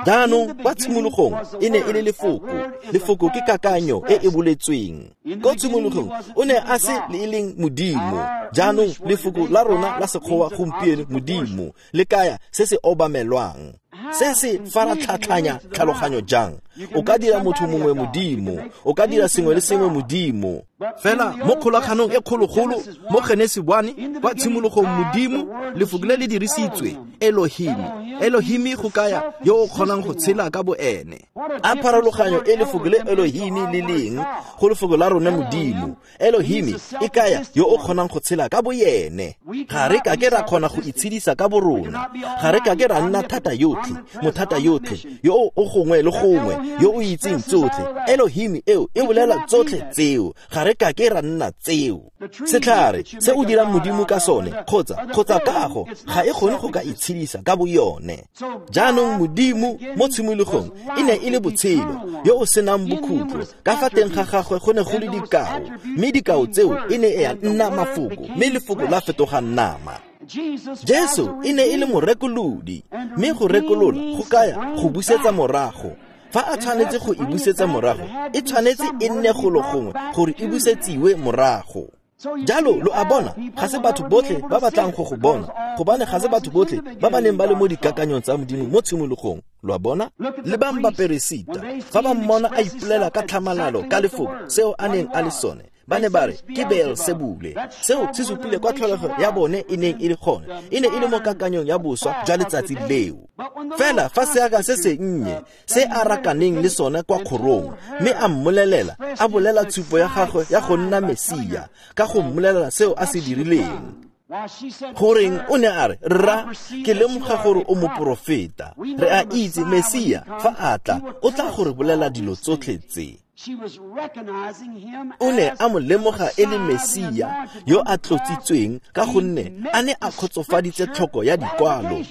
Jaanong kwa tshimologong e ne e le lefoko. Lefoko ke kakanyo e e boletsweng. Ko tshimologong o ne a se le e leng Modimo. Jaanong lefoko la rona la Sekgowa gompieno Modimo le kaya se se obamelwang. Se se faratlhatlhanya tlhaloganyo jang? O ka dira motho mongwe Modimo, o ka dira sengwe le sengwe Modimo. Fela mo kgolaganong e kgologolo mo Genesi 1, kwa tshimologong Modimo, lefoko le le dirisitswe Elohim. Elohim go kaya yo o kgonang go tshela ka boene. A pharologanyo e lefoko le Elohim le leng go lefoko la rona Modimo. Elohim e kaya yo o kgonang go tshela ka boyene. Ga re ka ke ra kgona go itshedisa ka borona. Ga re ka ke ra nna thata yotlhe, mothata yotlhe, yo o gongwe le gongwe, yo o itseng tsotlhe. Elohim eo e bolela tsotlhe tseo. Ga re ka ke ra nna tseo. Setlhare se o dirang Modimo ka sone, kgotsa kago, ga e kgone go ka itshedisa ka boyone. Jaanong Modimo mo tshimologong e ne e le botshelo, yo o senang bokhutlo. Ka fa teng ga gagwe go ne go le dikao, mme dikao tseo e ne ya nna mafoko, mme lefoko la fetoga nama. Jesu e ne e le morekolodi, mme go rekolola go kaya go busetsa morago. Fa a tshwanetse go e busetsa morago, e tshwanetse e nne golo gongwe gore e busetsiwe morago. Jalo lo a bona, ga se batho botlhe ba batlang go go bona, gobane ga se batho botlhe ba ba neng ba le mo dikakanyong tsa Modimo mo tshimologong. Lo a bona? Lebang baperesita, fa ba mmona a ipolela ka tlhamalalo ka lefoko seo a neng a le sone, ba ne ba re ke Beelsebule. Seo se supile kwa tlholego ya bone e neng e le gone, e ne e le mo kakanyong ya boswa jwa letsatsi leo. Fela fa seaka se sennye se a rakaneng le sone kwa kgorong, mme a mmolelela, a bolela tshupo ya gagwe ya go nna Mesia, ka go mmolelela seo a se dirileng. Goreng o ne a re, "Rra, ke lemoga gore o moporofeta. Re a itse Mesia fa a tla, o tla go re bolela dilo tsotlhe tse." O ne a mo lemoga e le Mesia yo a tlotsitsweng ka gonne a ne a kgotsofaditse tlhoko ya dikwalo.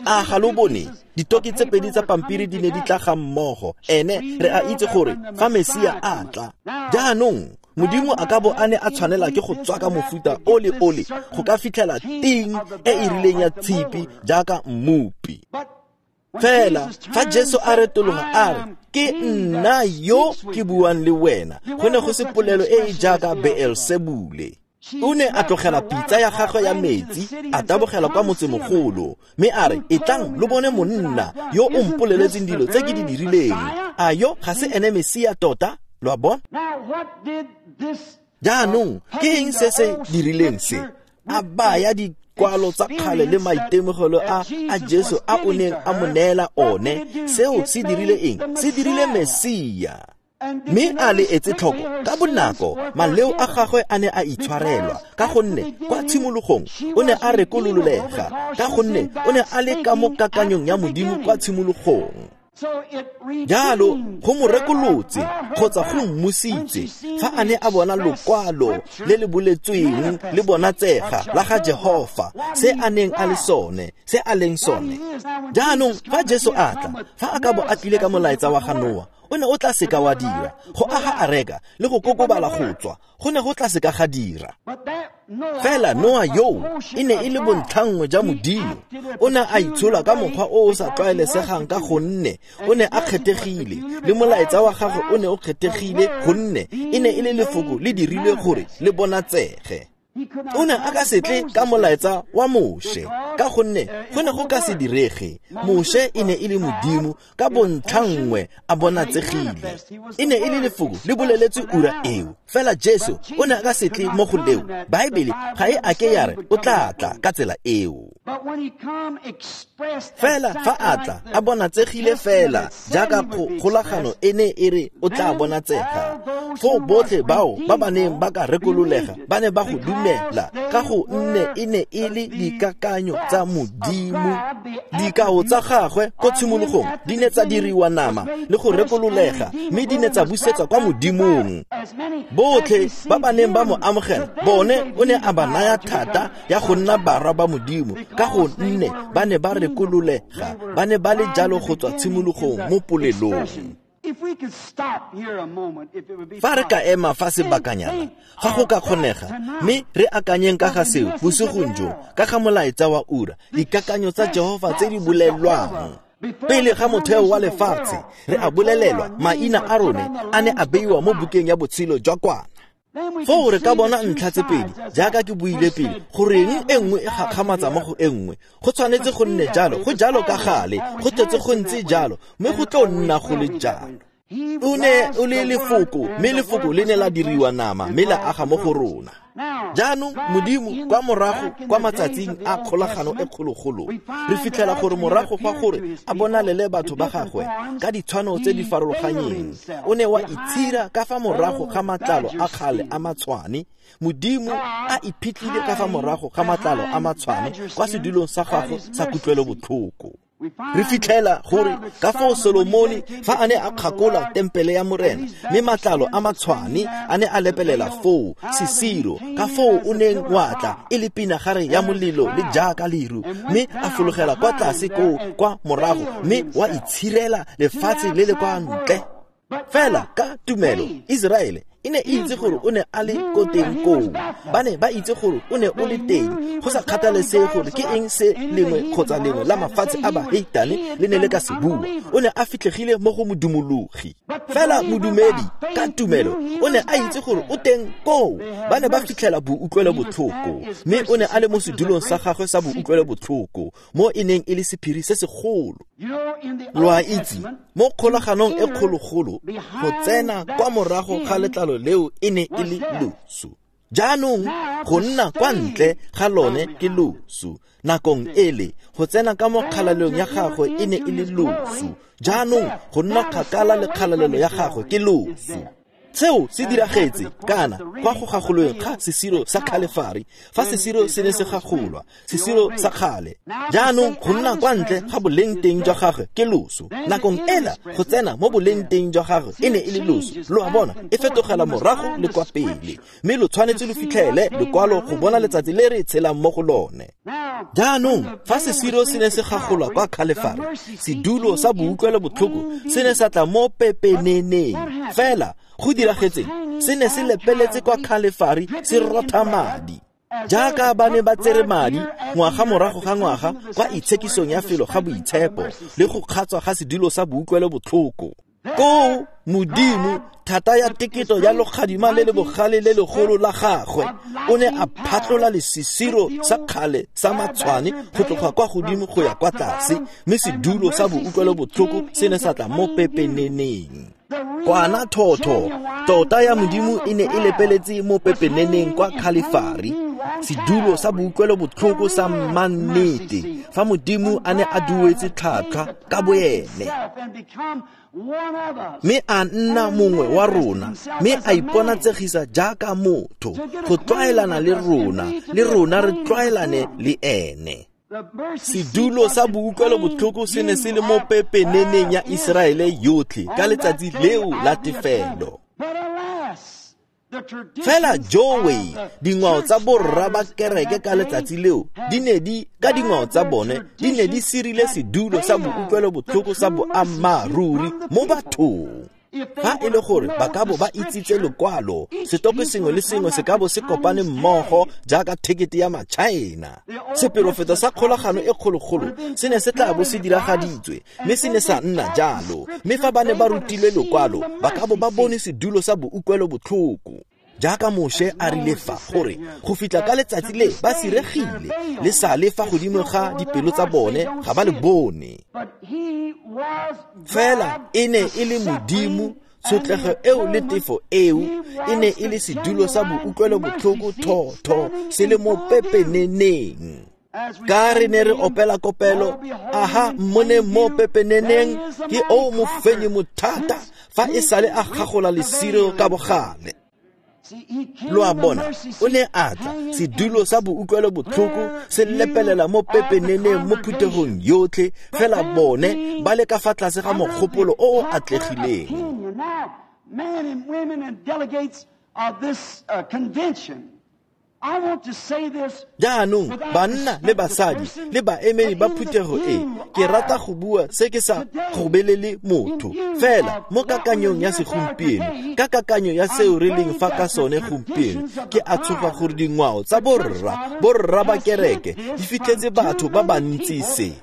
A ga lo bone? Ditoki tse pedi tsa pampiri di ne di tla ga mmogo. Ene re a itse gore fa Mesia a tla. Jaanong Modimo a ka bo a ne a tshwanela ke go tswaka mofuta o le ole go ka fitlhela ting e e rileng ya tshipi jaaka mmopi. Fela fa Jesu a retologa a re, "Ke nna yo ke buang le wena," go ne go se polelo e e jaaka Beelsebule. O ne a tlogela pitsa ya gagwe ya metsi, a tabogela kwa motsemogolo, mme a re, "Etlang lo bone monna yo o mpoleletseng dilo tse ke di dirileng. A yo ga se ene Mesia tota?" Lo a bona? Jaanong ke eng se se dirileng se? A baya dikwalo tsa kgale le maitemogelo a Jesu a o neng a mo neela one. Seo se dirile eng? Se dirile Mesia. Mme a le etse tlhoko ka bonako, maleo a gagwe a ne a itshwarelwa, ka gonne kwa tshimologong o ne a rekololega, ka gonne o ne a le ka mo kakanyong ya Modimo kwa tshimologong. Jalo go mo rekolotse kgotsa go mmusitse fa a ne a bona lokwalo le le boletsweng le bonatsega la ga Jehofa, se a neng a le sone, se a leng sone. Jaanong fa Jesu a tla, fa a ka bo a tlile ka molaetsa wa ga Noa, o ne o tla seka wa dira go aga areka le go kokobala go tswa, go ne go tla seka ga dira. Fela Noa yoo e ne e le bontlhanngwe ja Modimo. O ne a itshola ka mokgwa o o sa tlwaelesegang ka gonne o ne a kgethegile, le molaetsa wa gagwe o ne o kgethegile gonne e ne e le lefoko le dirilwe gore le bonatsege. O ne a ka se tle ka molaetsa wa Moshe ka gonne go ne go ka se direge. Moshe e ne e le Modimo ka bontlhanngwe a bonatsegile. E ne e le lefoko le boleletswe ura eo. Fela Jesu o ne a ka se tle mo go leo. Baebele ga e ake ya re o tla tla ka tsela eo. Fela fa a tla a bonatsegile fela jaaka kgolagano e ne e re o tla bonatsega, foo botlhe bao ba ba neng ba ka rekololega ba ne ba go dumela ka go nne e ne e le dikakanyo tsa Modimo. Dikao tsa gagwe ko tshimologong di ne tsa diriwa nama le go rekololega, mme di ne tsa busetswa kwa Modimong. Botlhe ba ba neng ba mo amogela, bone o ne a ba naya thata ya go nna barwa ba Modimo ka go nne ba ne ba rekololega, ba ne ba le jalo go tswa tshimologong mo polelong. Fa re ka ema fa sebakanyana, ga go ka kgonega, mme re akanyeng ka ga seo bosigong jo, ka ga molaetsa wa ura, dikakanyo tsa Jehofa tse di bolelwang. Pele ga motheo wa lefatshe, re a bolelelwa maina a rone a ne a beiwa mo bukeng ya botshelo jwa Kwana. Foo re ka bona ntlha tse pedi, jaaka ke buile pele, goreng e nngwe e gakgamatsa mo go e nngwe. Go tshwanetse go nne jalo, go jalo ka gale, go tletse go ntse jalo, mme go tlo nna go le jalo. O ne o le lefoko, mme lefoko le ne la diriwa nama, mme la aga mo go rona. Jaanong Modimo kwa morago kwa matsatsing a kgolagano e kgologolo, re fitlhela gore morago fa gore a bonalele batho ba gagwe ka ditshwano tse di farologanyeng, o ne wa itshira ka fa morago ga matlalo a kgale a matshwane. Modimo a iphitlhile ka fa morago ga matlalo a matshwane kwa sedulong sa gagwe sa kutlwelobotlhoko. Re fitlhela gore ka foo Solomone fa a ne a kgakola tempele ya Morena, mme matlalo a matshwane a ne a lepelela foo sesiro, ka foo o neng wa tla e le pinagare ya molelo le jaaka leru, mme a fologela kwa tlase koo kwa morago, mme wa itshirela lefatshe le le kwa ntle. Fela ka tumelo Iseraele e ne e itse gore o ne a le ko teng koo. Ba ne ba itse gore o ne o le teng, go sa kgathalesege gore ke eng se lengwe kgotsa lengwe la mafatshe a baheitane le ne le ka se bua. O ne a fitlhegile mo go modumologi. Fela modumedi ka tumelo o ne a itse gore o teng koo. Ba ne ba fitlhela boutlwelobotlhoko, mme o ne a le mo sedulong sa gagwe sa boutlwelobotlhoko, mo e neng e le sephiri se segolo. Lo a itse, mo kgolaganong e kgologolo, go tsena kwa morago ga letlalo leo e ne e le loso. Jaanong go nna kwa ntle ga lone ke loso. Nakong ele, go tsena ka mo kgalalelong ya gagwe e ne e le loso. Jaanong go nna kgakala le kgalalelo ya gagwe ke loso. Seo se diragetse kana kwa go gagolweng ga sesiro sa Khalefari, fa sesiro se ne se gagolwa, sesiro sa kgale. Jaanong go nna kwa ntle ga boleng teng jwa gagwe ke loso. Nakong ela go tsena mo boleng teng jwa gagwe e ne e le loso. Lo a bona, e fetogela morago le kwa pele, mme lo tshwanetse lo fitlhele lekwalo go bona letsatsi le re tshelang mo go lone. Jaanong fa sesiro se ne se gagolwa kwa Khalefari, sedulo sa boutlwelobotlhoko se ne sa tla mo pepeneneng. Fela go diragetseng, se ne se lepeletse kwa Khalefari se rotha madi. Jaaka ba ne ba tsere madi ngwaga morago ga ngwaga kwa itshekisong ya felo ga boitshepo le go kgatswa ga sedulo sa boutlwelobotlhoko. Koo Modimo thata ya teketo ya lokgadima le le bogale le legolo la gagwe o ne a phatlola lesisiro sa kgale sa matshwane go tloga kwa godimo go ya kwa tlase, mme sedulo sa boutlwelobotlhoko se ne sa tla mo pepeneneng. Kwana thotho tota ya Modimo e ne e lepeletse mo pepeneneng kwa Khalefari, sedulo sa boutlwelobotlhoko sa mannete, fa Modimo a ne a duetse tlhwatlhwa ka boene, mme a nna mongwe wa rona, mme a iponatsegisa jaaka motho go tlwaelana le rona, le rona re tlwaelane le ene. Sedulo sa boutlwelobotlhoko se ne se le mo pepeneneng ya Iseraele yotlhe ka letsatsi leo la tefelo. Fela jowe, dingwao tsa borra ba kereke ka letsatsi leo di ne di ka dingwao tsa bone di ne di sirile sedulo sa boutlwelobotlhoko sa boammaaruri mo bathong. Fa e le gore ba ka bo ba itsitse lekwalo, setopo sengwe le sengwe se ka bo se kopane mmogo jaaka thekete ya maChina. Seperofeto sa kgolagano e kgologolo se ne se tla bo se diragaditswe, mme se ne sa nna jalo. Mme fa ba ne ba rutilwe lekwalo, ba ka bo ba bone sedulo sa boutlwelobotlhoko. Jaaka Moshe a rile fa gore go fitlha ka letsatsi le ba siregile le sale fa godimo ga dipelo tsa bone ga ba le bone. Fela e ne e le Modimo, tshotlego eo le tefo eo e ne e le sedulo sa boutlwelobotlhoko thotho se le mo pepeneneng. Ka re ne re opela kopelo, aha mmone mo pepeneneng ke o mofenyi mothata fa e sale a gagola lesiro ka bogale. Lo a bona, o ne a tla, sedulo sa boutlwelobotlhoko se lepelela mo pepeneneng mo phuthegong yotlhe, fela bone ba le ka fa tlase ga mogopolo o o atlegileng. Jaanong banna le basadi le baemedi ba phuthego e, ke rata go bua se ke sa gobelele motho, fela mo kakanyong ya segompieno, ka kakanyo ya seo re leng fa ka sone gompieno, ke a tshoga gore dingwao tsa borra ba kereke di fitlhetse batho ba bantsi se.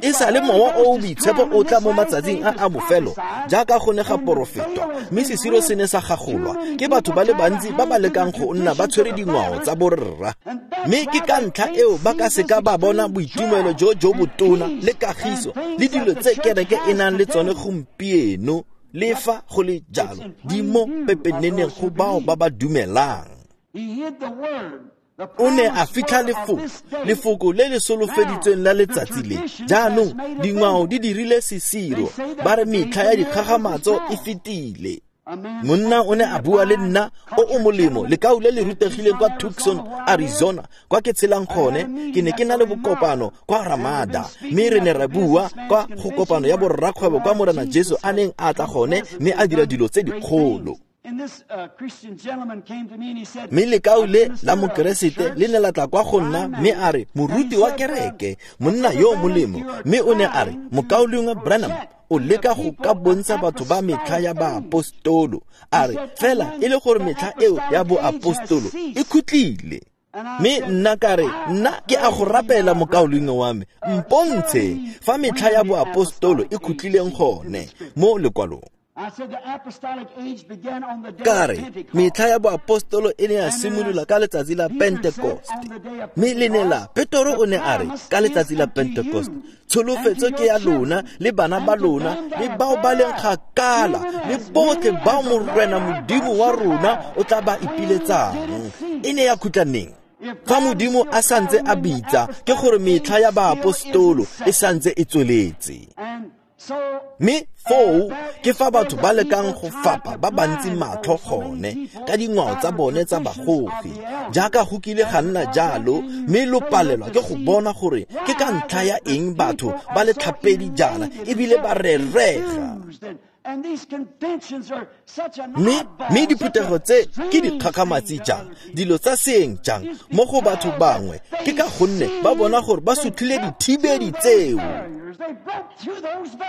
E sa le mowa o o boitshepo o tla mo matsatsing a a bofelo jaaka go ne ga porofetwa, mme sesiro se ne sa gagolwa ke batho ba le bantsi ba ba lekang go nna ba tshwere dingwao tsa borra. Mme ke ka ntlha eo ba ka seka ba bona boitumelo jo jo botona le kagiso le dilo tse kereke e nang le tsone gompieno, le fa go le jalo di mo pepeneneng go bao ba ba dumelang. O ne a fitlha lefoko le le solofeditsweng la letsatsi le. Jaanong dingwao di dirile sesiro, ba re metlha ya dikgagamatso e fetile. Monna o ne a bua le nna o o molemo, lekau le le rutegileng kwa Tucson, Arizona, kwa ke tshelang gone. Ke ne ke na le bokopano kwa Ramada, mme re ne ra bua kwa go kopano ya borrakgwebo kwa Morena Jesu a neng a tla gone mme a dira dilo tse dikgolo. Mme lekau le la mokeresete le ne la tla kwa go nna mme a re, moruti wa kereke, monna yo molemo, mme o ne a re, mokaulengwe Branham o leka go ka bontsha batho ba metlha ya baapostolo, a re fela e le gore metlha eo ya boapostolo e khutlile. Mme nna ka re, nna ke a go rapela mokaulengwe wa me, mpontshe fa metlha ya boapostolo e khutlileng gone mo lekwalong. Ka re, metlha ya boapostolo e ne ya simolola ka letsatsi la Pentekoste. Mme le ne la, Petoro o ne a re, ka letsatsi la Pentekoste, tsholofetso ke ya lona le bana ba lona le bao ba leng kgakala le botlhe bao Morena Modimo wa rona o tla ba ipiletsang. E ne ya khutla neng? Fa Modimo a santse a bitsa, ke gore metlha ya baapostolo e santse e tsweletse. Mme foo ke fa batho ba lekang go fapa ba bantsi matlho gone ka dingwao tsa bone tsa bagogi, jaaka go kile ga nna jalo, mme lo palelwa ke go bona gore ke ka ntlha ya eng batho ba le tlhapedi jaana ebile ba rerega. Mme diphuthego tse ke dikgakgamatsi jang, dilo tsa seeng jang mo go batho bangwe, ke ka gonne ba bona gore ba sutlhile dithibedi tseo.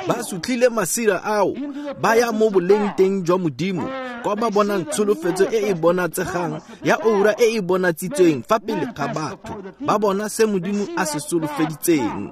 Ba sutlhile masira ao, ba ya mo boleng teng jwa Modimo, kwa ba bonang tsholofetso e e bonatsegang ya oura e e bonatsitsweng fa pele ga batho, ba bona se Modimo a se solofeditseng.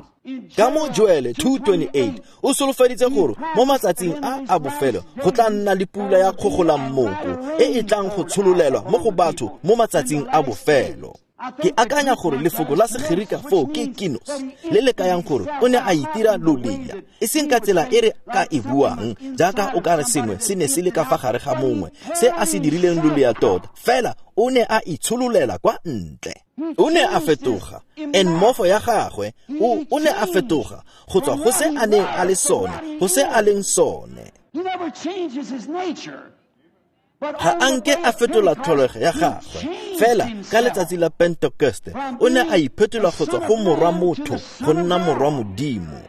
Ka mo Joele 2:28 o solofeditse gore mo matsatsing a a bofelo go tla nna le pula ya kgogolammoko e e tlang go tshololelwa mo go batho mo matsatsing a bofelo. Ke akanya gore lefoko la Segerika foo ke kinos, le le kayang gore o ne a itira lolea, e seng ka tsela e re ka e buang jaaka o ka re sengwe se ne se le ka fa gare ga mongwe se a se dirileng lolea tota, fela o ne a itshololela kwa ntle. O ne a fetoga, enmorpho ya gagwe, o ne a fetoga go tswa go se a neng a le sone go se a leng sone. Ga a nke a fetola tlholego ya gagwe, Fela ka letsatsi la Pentekoste o ne a iphetola go tswa go morwa motho go nna morwa Modimo.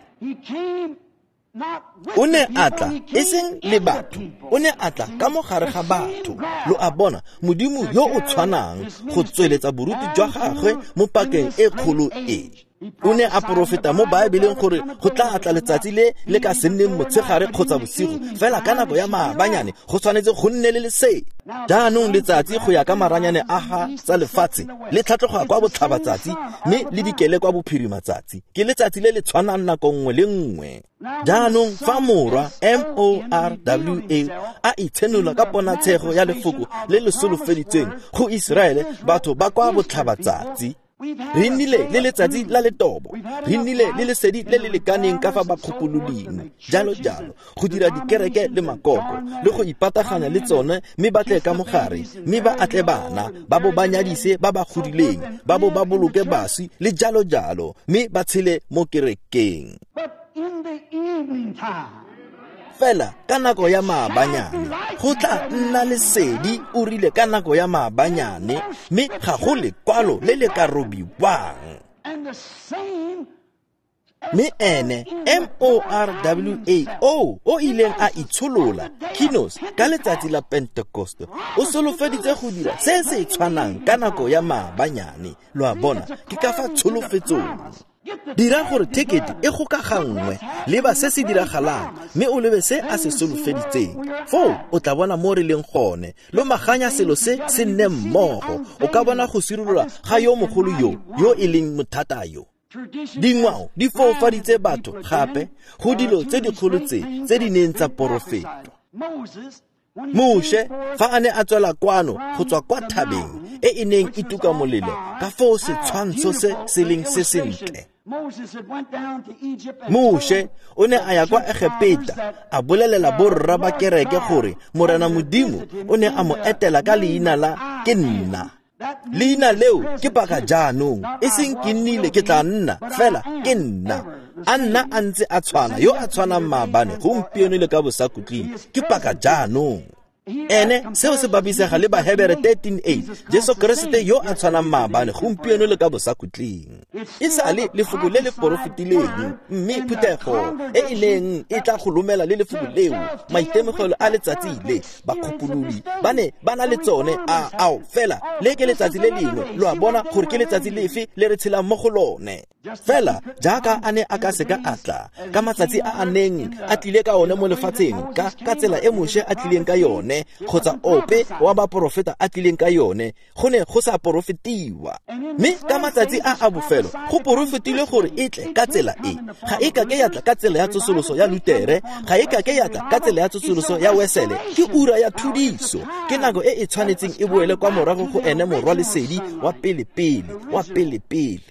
O ne a tla e seng le batho, o ne a tla ka mo gare ga batho. Lo a bona, Modimo yo o tshwanang go tsweletsa boruti jwa gagwe mo pakeng e kgolo e. O ne a porofeta mo Baebeleng gore go tla tla letsatsi le le ka se nneng motshegare kgotsa bosigo, fela ka nako ya maabanyane go tshwanetse go nne le lesedi. Jaanong letsatsi go ya ka maranyane a ga tsa lefatshe le tlhatloga kwa botlhabatsatsi mme le dikele kwa bophirimatsatsi. Ke letsatsi le le tshwanang nako nngwe le nngwe. Jaanong fa morwa M-O-R-W-A a itshenola ka ponatshego ya lefoko le le solofeditsweng go Iseraele, batho ba kwa botlhabatsatsi. Re nnile le letsatsi la letobo, re nnile le lesedi le le lekaneng ka fa bakgopoloding, jalo jalo, go dira dikereke le makoko le go ipataganya le tsone, mme ba tle ka mogare, mme ba atle bana, ba bo ba nyadise ba ba godileng, ba bo ba boloke baswi le jalo jalo, mme ba tshele mo kerekeng. Fela ka nako ya maabanyane go tla nna lesedi, o rile ka nako ya maabanyane, mme ga go lekwalo le le ka robiwang. Mme ene M-O-R-W-A-O o ileng a itsholola kinos ka letsatsi la Pentekoste o solofeditse go dira se se tshwanang ka nako ya maabanyane. Lo a bona, ke ka fa tsholofetsong. Dira gore thekete e gokaganngwe, leba se se diragalang, mme o lebe se a se solofeditseng. Foo o tla bona mo re leng gone. Lomaganya selo se se nne mmogo, o ka bona go sirolola ga yo mogolo yo, yo e leng mothata yo. Dingwao di foufaditse batho gape go dilo tse dikgolo tse tse di neng tsa porofetwa. Moshe fa a ne a tswela kwano go tswa kwa thabeng e e neng e tuka molelo, ka foo setshwantsho se se leng se sentle. Moshe o ne a ya kwa Egepeta a bolelela borra ba kereke gore Morena Modimo o ne a mo etela ka leina la ke nna. Leina leo ke paka jaanong, e seng ke nnile ke tla nna, fela ke nna. A nna a ntse a tshwana, yo a tshwanang maabane, gompieno le ka bosakhutleng, ke paka jaanong. Ene seo se bapisega le Bahebere 13:8, Jesu Keresete yo a tshwanang maabane, gompieno le ka bosakhutleng. E sale lefoko le le porofetileng, mme phuthego e e neng e tla go lomela le lefoko leo, maitemogelo a letsatsi le bakgopolodi ba ne ba na le tsone a ao, fela le ke letsatsi le lengwe. Lo a bona gore ke letsatsi lefe le re tshelang mo go lone. Fela jaaka a ne a ka seka a tla ka matsatsi a a neng a tlile ka one mo lefatsheng, ka tsela e Moshe a tlileng ka yone, kgotsa ope wa baporofeta a tlileng ka yone, go ne go sa porofetiwa. Mme ka matsatsi a a bofelo go porofetilwe gore e tle ka tsela e. Ga e kake ya tla ka tsela ya tsosoloso ya Lutere, ga e kake ya tla ka tsela ya tsosoloso ya Wesele. Ke ura ya thudiso, ke nako e e tshwanetseng e boele kwa morago go ene morwa lesedi wa pele-pele, wa pele-pele.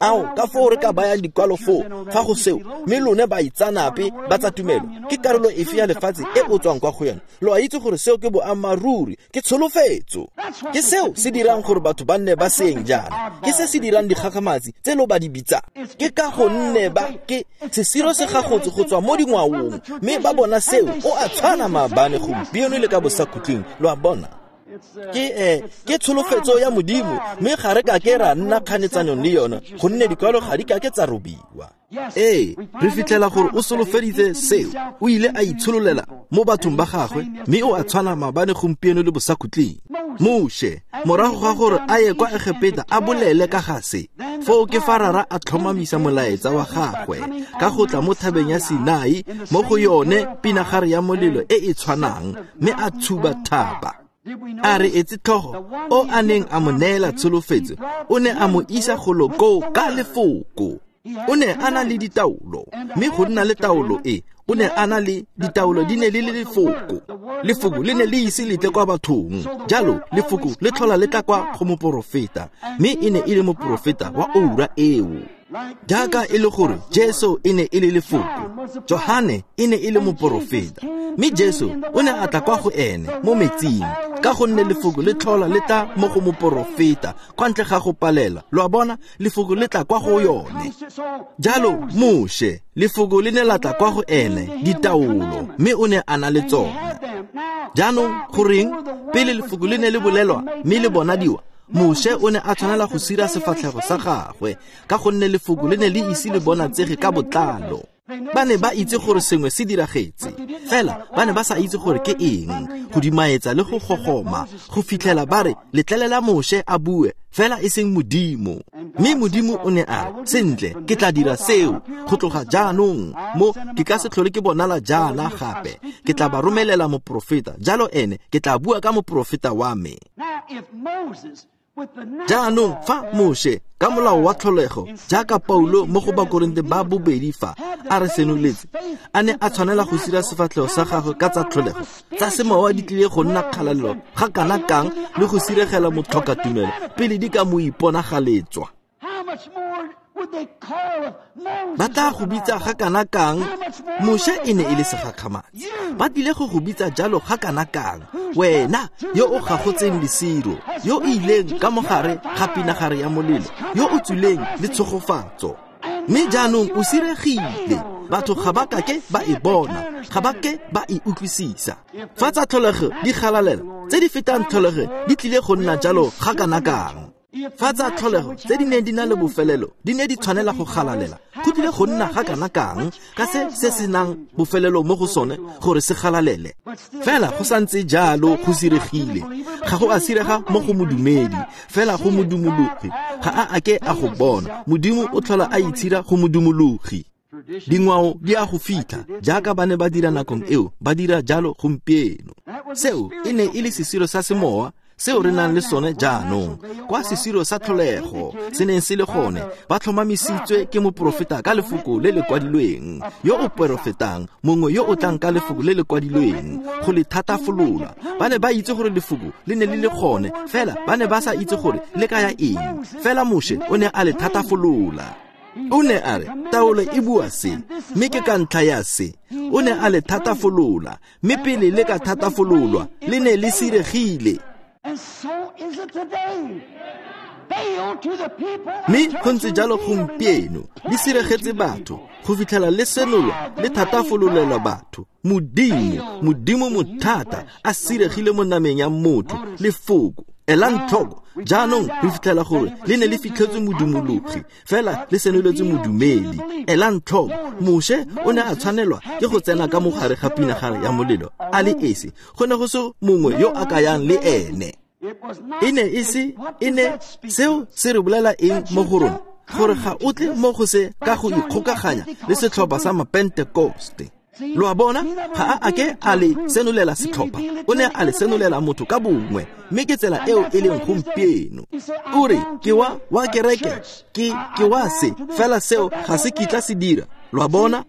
Ao, ka foo re ka bayang dikwalo foo fa go seo, mme lone baitsanape ba tsa tumelo, ke karolo efe ya lefatshe e o tswang kwa go yone? Lo a itse gore seo ke boammaaruri, ke tsholofetso. Ke seo se dirang gore batho ba nne ba seeng jaana, ke se se dirang dikgakgamatsi tse lo ba di bitsang. Ke ka gonne ba ke sesiro se gagotse go tswa mo dingwaong, mme ba bona seo, o a tshwana maabane, gompieno le ka bosakhutleng. Lo a bona, ke tsholofetso ya Modimo, mme ga re ka ke ra nna kganetsanong le yone, gonne dikwalo ga di ka ke tsa robiwa. Ee, re fitlhela gore o solofeditse seo, o ile a itshololela mo bathong ba gagwe, mme o a tshwana maabane, gompieno le bosakhutleng. Moshe, morago ga gore a ye kwa Egepeta a bolele ka ga se, foo ke fa Rara a tlhomamisa molaetsa wa gagwe ka go tla mo thabeng ya Sinai, mo go yone pinagare ya molelo e e tshwanang, mme a tshuba thaba. A re etse tlhogo o a neng a mo neela tsholofetso, o ne a mo isa golo koo ka lefoko. O ne a na le ditaolo, mme go nna le taolo e, o ne a na le ditaolo di ne le le lefoko. Lefoko le ne le ise le tle kwa bathong, jalo lefoko le tlhola le tla kwa go moporofeta, mme e ne e le moporofeta wa oura eo. Jaaka e le gore Jesu e ne e le lefoko, Johane e ne e le moporofeta, mme Jesu o ne a tla kwa go ene mo metsing, ka gonne lefoko le tlhola le tla mo go moporofeta kwa ntle ga go palela. Lo a bona, lefoko le tla kwa go yone. Jalo Moshe, lefoko le ne la tla kwa go ene, ditaolo, mme o ne a na le tsone. Jaanong goreng pele lefoko le ne le bolelwa mme le bonadiwa, Moshe o ne a tshwanela go sira sefatlhego sa gagwe ka gonne lefoko le ne le ise le bonatsege ka botlalo. Ba ne ba itse gore sengwe se diragetse, fela ba ne ba sa itse gore ke eng, go dimaetsa le go gogoma go fitlhela ba re letlelela Moshe a bue fela e seng Modimo. Mme Modimo o ne a re, sentle, ke tla dira seo go tloga jaanong, mo ke ka se tlhole ke bonala jaana gape. Ke tla ba romelela moprofeta, jalo ene ke tla bua ka moprofeta wa me. Jaanong fa Moshe ka molao wa tlholego, jaaka Paulo mo go Bakorinte ba bobedi fa a re senoletse, a ne a tshwanela go sira sefatlhego sa gagwe ka tsa tlholego, tsa semowa di tlile go nna kgalalelo ga kana kang le go siregela motlhokatumelo pele di ka mo iponagaletswa. Ba tla go bitsa ga kana kang? Moshe e ne e le segakgamatsi. Ba tlile go go bitsa jalo ga kana kang, wena yo o gagotseng lesiro, yo o ileng ka mogare ga pinagare ya molelo, yo o tswileng le tshegofatso. Mme jaanong o siregile, batho ga ba kake ba e bona, ga ba ke ba e utlwisisa. Fa tsa tlholego di galalela, tse di fetang tlholego di tlile go nna jalo ga kana kang. Fa tsa tlholego tse di neng di na le bofelelo di ne di tshwanela go galalela, go tlile go nna ga kana kang ka se se senang bofelelo mo go sone gore se galalele. Fela go santse jalo go siregile, ga go a sirega mo go modumedi, fela go modumologi ga a ake a go bona. Modimo o tlhola a itshira go modumologi. Dingwao di a go fitlha jaaka ba ne ba dira nakong eo, ba dira jalo gompieno. Seo e ne e le sesiro sa semowa seo re nang le sone jaanong, kwa sesiro sa tlholego se neng se le gone, ba tlhomamisitswe ke moprofeta ka lefoko le le kwadilweng, yo o porofetang, mongwe yo o tlang ka lefoko le le kwadilweng go le thatafolola. Ba ne ba itse gore lefoko le ne le le gone, fela ba ne ba sa itse gore le kaya eng. Fela Moshe o ne a le thatafolola. O ne a re, taolo e bua se, mme ke ka ntlha ya se. O ne a le thatafolola, mme pele le ka thatafololwa, le ne le siregile. Mme go ntse jalo gompieno, le siregetse batho go fitlhela le senolwa le thatafololelwa batho. Modimo, Modimo mothata a siregile mo nameng ya motho, lefoko. Elang tlhoko, jaanong re fitlhela gore le ne le fitlhetswe modumologi, fela le senoletswe modumedi. Elang tlhoko, Moshe o ne a tshwanelwa ke go tsena ka mogare ga pinagare ya molelo a le esi, go ne go se mongwe yo a kayang le ene. E ne e se, e ne, seo se re bolela eng mo go rona? Gore ga o tle mo go se ka go ikgokaganya le setlhopha sa Mapentekoste. Lo a bona, ga a ake a le senolela setlhopha, o ne a le senolela motho ka bongwe, mme ke tsela eo e leng gompieno. O re, ke wa kereke, ke wa se, fela seo ga se kitla se dira. Lo a bona?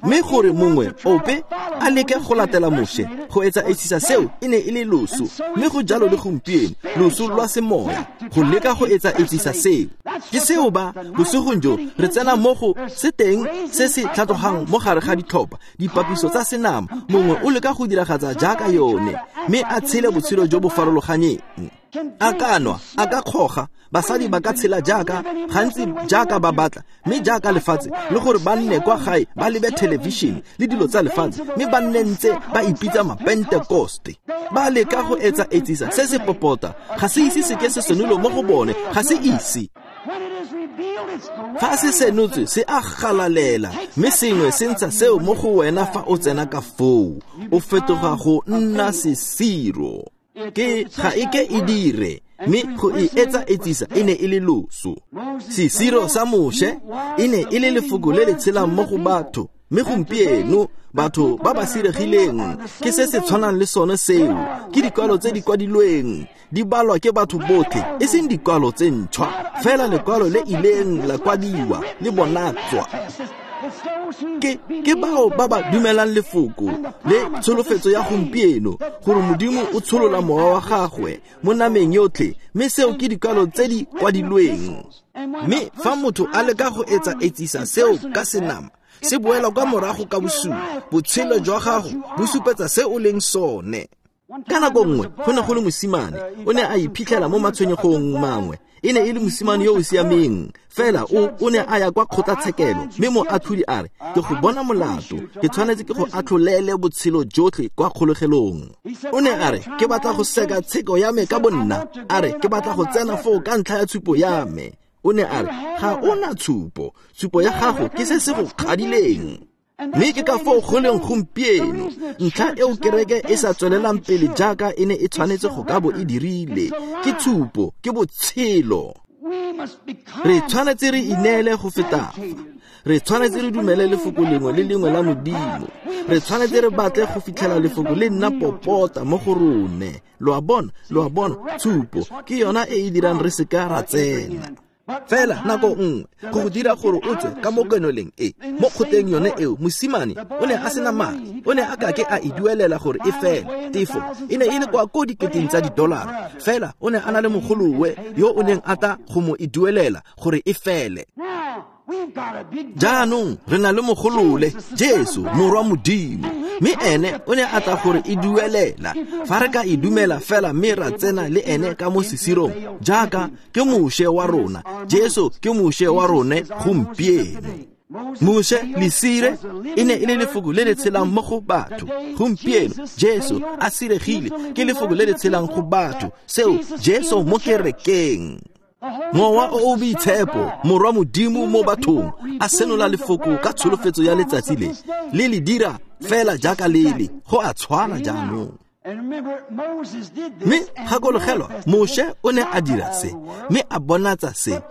Mme gore mongwe ope a leke go latela Moshe go etsa etsisa seo e ne e le loso, mme go jalo le gompieno, loso lwa semoya, go leka go etsa etsisa seo. Ke seo ba bosigong jo re tsena mo go se teng se se tlhatlogang mo gare ga ditlhopha, dipapiso tsa senama, mongwe o leka go diragatsa jaaka yone, mme a tshele botshelo jo bo farologaneng. A ka nwa, a ka kgoga, basadi ba ka tshela jaaka gantsi jaaka ba batla, mme jaaka lefatshe, le gore ba nne kwa gae ba lebe television le dilo tsa lefatshe, mme ba nne ntse ba ipitsa Mapentekoste. Ba leka go etsa etsisa se se popota, ga se ise se ke se senolo mo go bone, ga se ise. Fa se senotswe se a galalela, mme sengwe se ntsha seo mo go wena fa o tsena ka foo, o fetoga go nna sesiro. Ke ga e ke e dire, mme go e etsa etsisa e ne e le loso. Sesiro sa Moshe e ne e le lefoko le le tshelang mo go batho, mme gompieno batho ba ba siregileng ke se se tshwanang le sone seo, ke dikwalo tse di kwadilweng, di balwa ke batho botlhe, e seng dikwalo tse ntšhwa, fela lekwalo le ileng la kwadiwa le bonatswa. Ke bao ba ba dumelang lefoko le tsholofetso ya gompieno, gore Modimo o tsholola mowa wa gagwe mo nameng yotlhe, mme seo ke dikwalo tse di kwadilweng. Mme fa motho a leka go etsa etsisa seo ka senama, se boela kwa morago ka bosula. Botshelo jwa gago bo supetsa se o leng sone. Ka nako nngwe go ne go le mosimane, o ne a iphitlhela mo matshwenyegong mangwe. E ne e le mosimane yo o siameng, fela o ne a ya kwa kgotlatshekelo, mme moatlhodi a re, ke go bona molato, ke tshwanetse ke go atlholele botshelo jotlhe kwa kgolegelong. O ne a re, ke batla go seka tsheko ya me ka bonna. A re, ke batla go tsena foo ka ntlha ya tshupo ya me. O ne a re, ga o na tshupo, tshupo ya gago ke se se go kgadileng. Mme ke ka foo go leng gompieno, ntlha eo kereke e sa tswelelang pele jaaka e ne e tshwanetse go ka bo e dirile, ke tshupo, ke botshelo. Re tshwanetse re ineele go feta fa. Re tshwanetse re dumele lefoko lengwe le lengwe la Modimo. Re tshwanetse re batle go fitlhela lefoko le nna popota mo go rone. Lo a bona, lo a bona, tshupo ke yona e e dirang re seka ra tsena. Fela nako nngwe go go dira gore o tswe ka mo kenoleng e, mo kgoteng yone eo, mosimane o ne a sena madi, o ne a kake a e duelela gore e fele. Tefo e ne e le kwa ko diketeng tsa didolara, fela o ne a na le mogolowe yo o neng a tla go mo e duelela gore e fele. Jaanong re na le mogolole, Jesu, Morwa Modimo, mme ene o ne a tla gore e duelela. Fa re ka e dumela fela mme ra tsena le ene ka mo sesirong, jaaka ke Moshe wa rona, Jesu ke Moshe wa rone gompieno. Moshe lesire e ne e le lefoko le le tshelang mo go batho. Gompieno Jesu a siregile ke lefoko le le tshelang go batho, seo Jesu mo kerekeng. Mowa o o Boitshepo, Morwa Modimo mo bathong, a senola lefoko ka tsholofetso ya letsatsi le, le le dira fela jaaka lele, go a tshwana jaanong. Mme gakologelwa, Moshe o ne a dira se, mme a bonatsa se,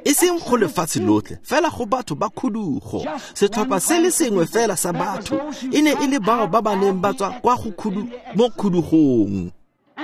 e seng go lefatshe lotlhe, fela go batho ba khudugo, setlhopha se le sengwe fela sa batho, e ne e le bao ba ba neng ba tswa kwa go mo khudugong.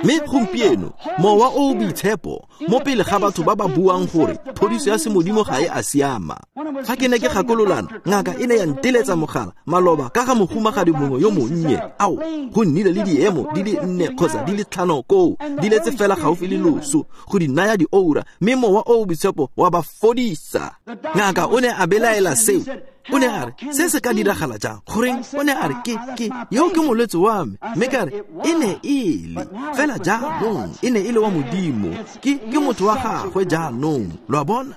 Mme gompieno, Mowa o o Boitshepo mo pele ga batho ba ba buang gore phodiso ya semodimo ga e a siama. Fa ke ne ke gakololana, ngaka e ne ya nteletsa mogala maloba ka ga mohumagadi mongwe yo monnye. Ao, go nnile le diemo di le 4 kgotsa di le 5 koo, di letse fela gaufi le loso, go di naya dioura, mme Mowa o o Boitshepo wa ba fodisa. Ngaka o ne a belaela seo. O ne a re, se se ka diragala jang? Goreng, o ne a re, ke, yo ke molwetse wa me. Mme ka re, e ne e le, fela jaanong, e ne e le wa Modimo. Ke motho wa gagwe jaanong. Lo a bona?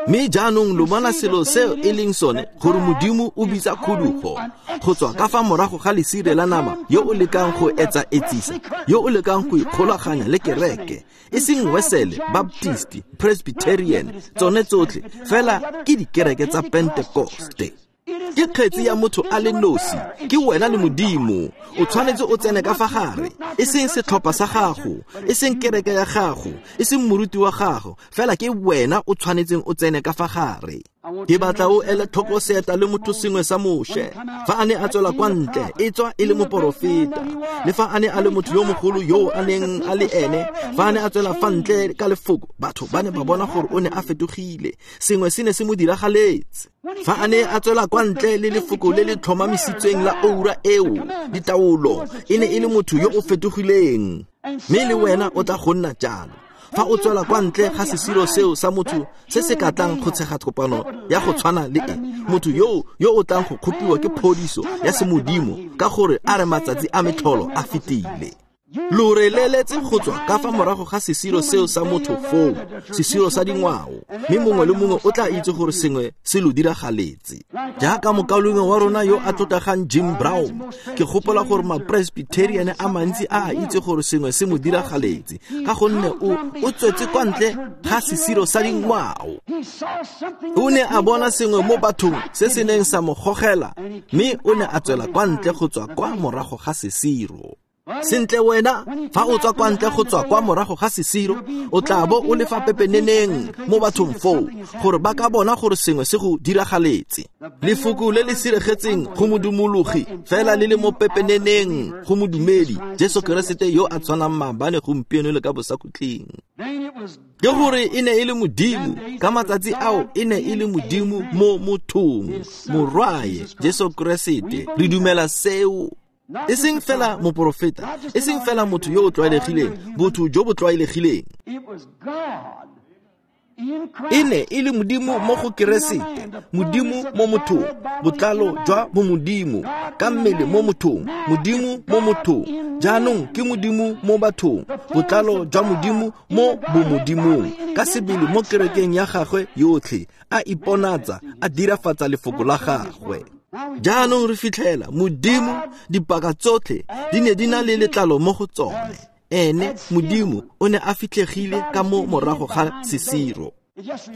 Mme jaanong lo bona selo seo e leng sone, gore Modimo o bitsa khudugo go tswa ka fa morago ga lesire la nama yo o lekang go etsa etsisa, yo o lekang go ikgolaganya le kereke, e seng Wesele, Baptist, Presbyterian, tsone tsotlhe fela ke dikereke tsa Pentekoste. Ke kgetsi ya motho a le nosi, ke wena le Modimo. O tshwanetse o tsene ka fa gare, e seng setlhopha sa gago, e seng kereke ya gago, e seng moruti wa gago, fela ke wena o tshwanetseng o tsene ka fa gare. Ke batla o ele tlhoko seeta le motho sengwe sa Moshe. Fa a ne a tswela kwa ntle, e tswa e le moporofeta. Le fa a ne a le motho yo mogolo yo a neng a le ene, fa a ne a tswela fa ntle ka lefoko, batho ba ne ba bona gore o ne a fetogile. Sengwe se ne se mo diragaletse. Fa a ne a tswela kwa ntle le lefoko le le tlhomamisitsweng la oura eo, ditaolo, e ne e le motho yo o fetogileng. Mme le wena o tla go nna jalo. Fa o tswela kwa ntle ga sesiro seo sa motho se se ka tlang go tshega kopano ya go tshwana le e, motho yo o tlang go kgopiwa ke phodiso ya semodimo ka gore a re matsatsi a metlholo a fetile. Lo re leletse go tswa ka fa morago ga sesiro seo sa motho foo, sesiro sa dingwao, mme mongwe le mongwe o tla itse gore sengwe se lo diragaletse. Jaaka mokaulengwe wa rona yo a tlotlegang Jim Brown, ke gopola gore ma-Presbyterian a mantsi a a itse gore sengwe se mo diragaletse, ka gonne o tswetse kwa ntle ga sesiro sa dingwao. O ne a bona sengwe mo bathong se se neng sa mo gogela, mme o ne a tswela kwa ntle go tswa kwa morago ga sesiro. Sentle wena, fa o tswa kwa ntle go tswa kwa morago ga sesiro, o tla bo o le fa pepeneneng mo bathong foo, gore ba ka bona gore sengwe se go diragaletse. Lefoko le le siregetseng go modumologi, fela le le mo pepeneneng go modumedi, Jesu Keresete yo a tshwanang maabane, gompieno le ka bosakhutleng. Ke gore e ne e le Modimo, ka matsatsi ao e ne e le Modimo mo mothong, Morwae Jesu Keresete. Re dumela seo. E seng fela moporofeta, e seng fela motho yo o tlwaelegileng, botho jo bo tlwaelegileng. E ne e le Modimo mo go Keresete, Modimo mo mothong, botlalo jwa bomodimo ka mmele mo mothong, Modimo mo mothong. Jaanong ke Modimo mo bathong, botlalo jwa Modimo mo bomodimong, ka sebele mo kerekeng ya gagwe yotlhe, a iponatsa, a dirafatsa lefoko la gagwe. Jaanong re fitlhela Modimo dipaka tsotlhe di ne di na le letlalo mo go tsone. Ene Modimo o ne a fitlhegile ka mo morago ga sesiro.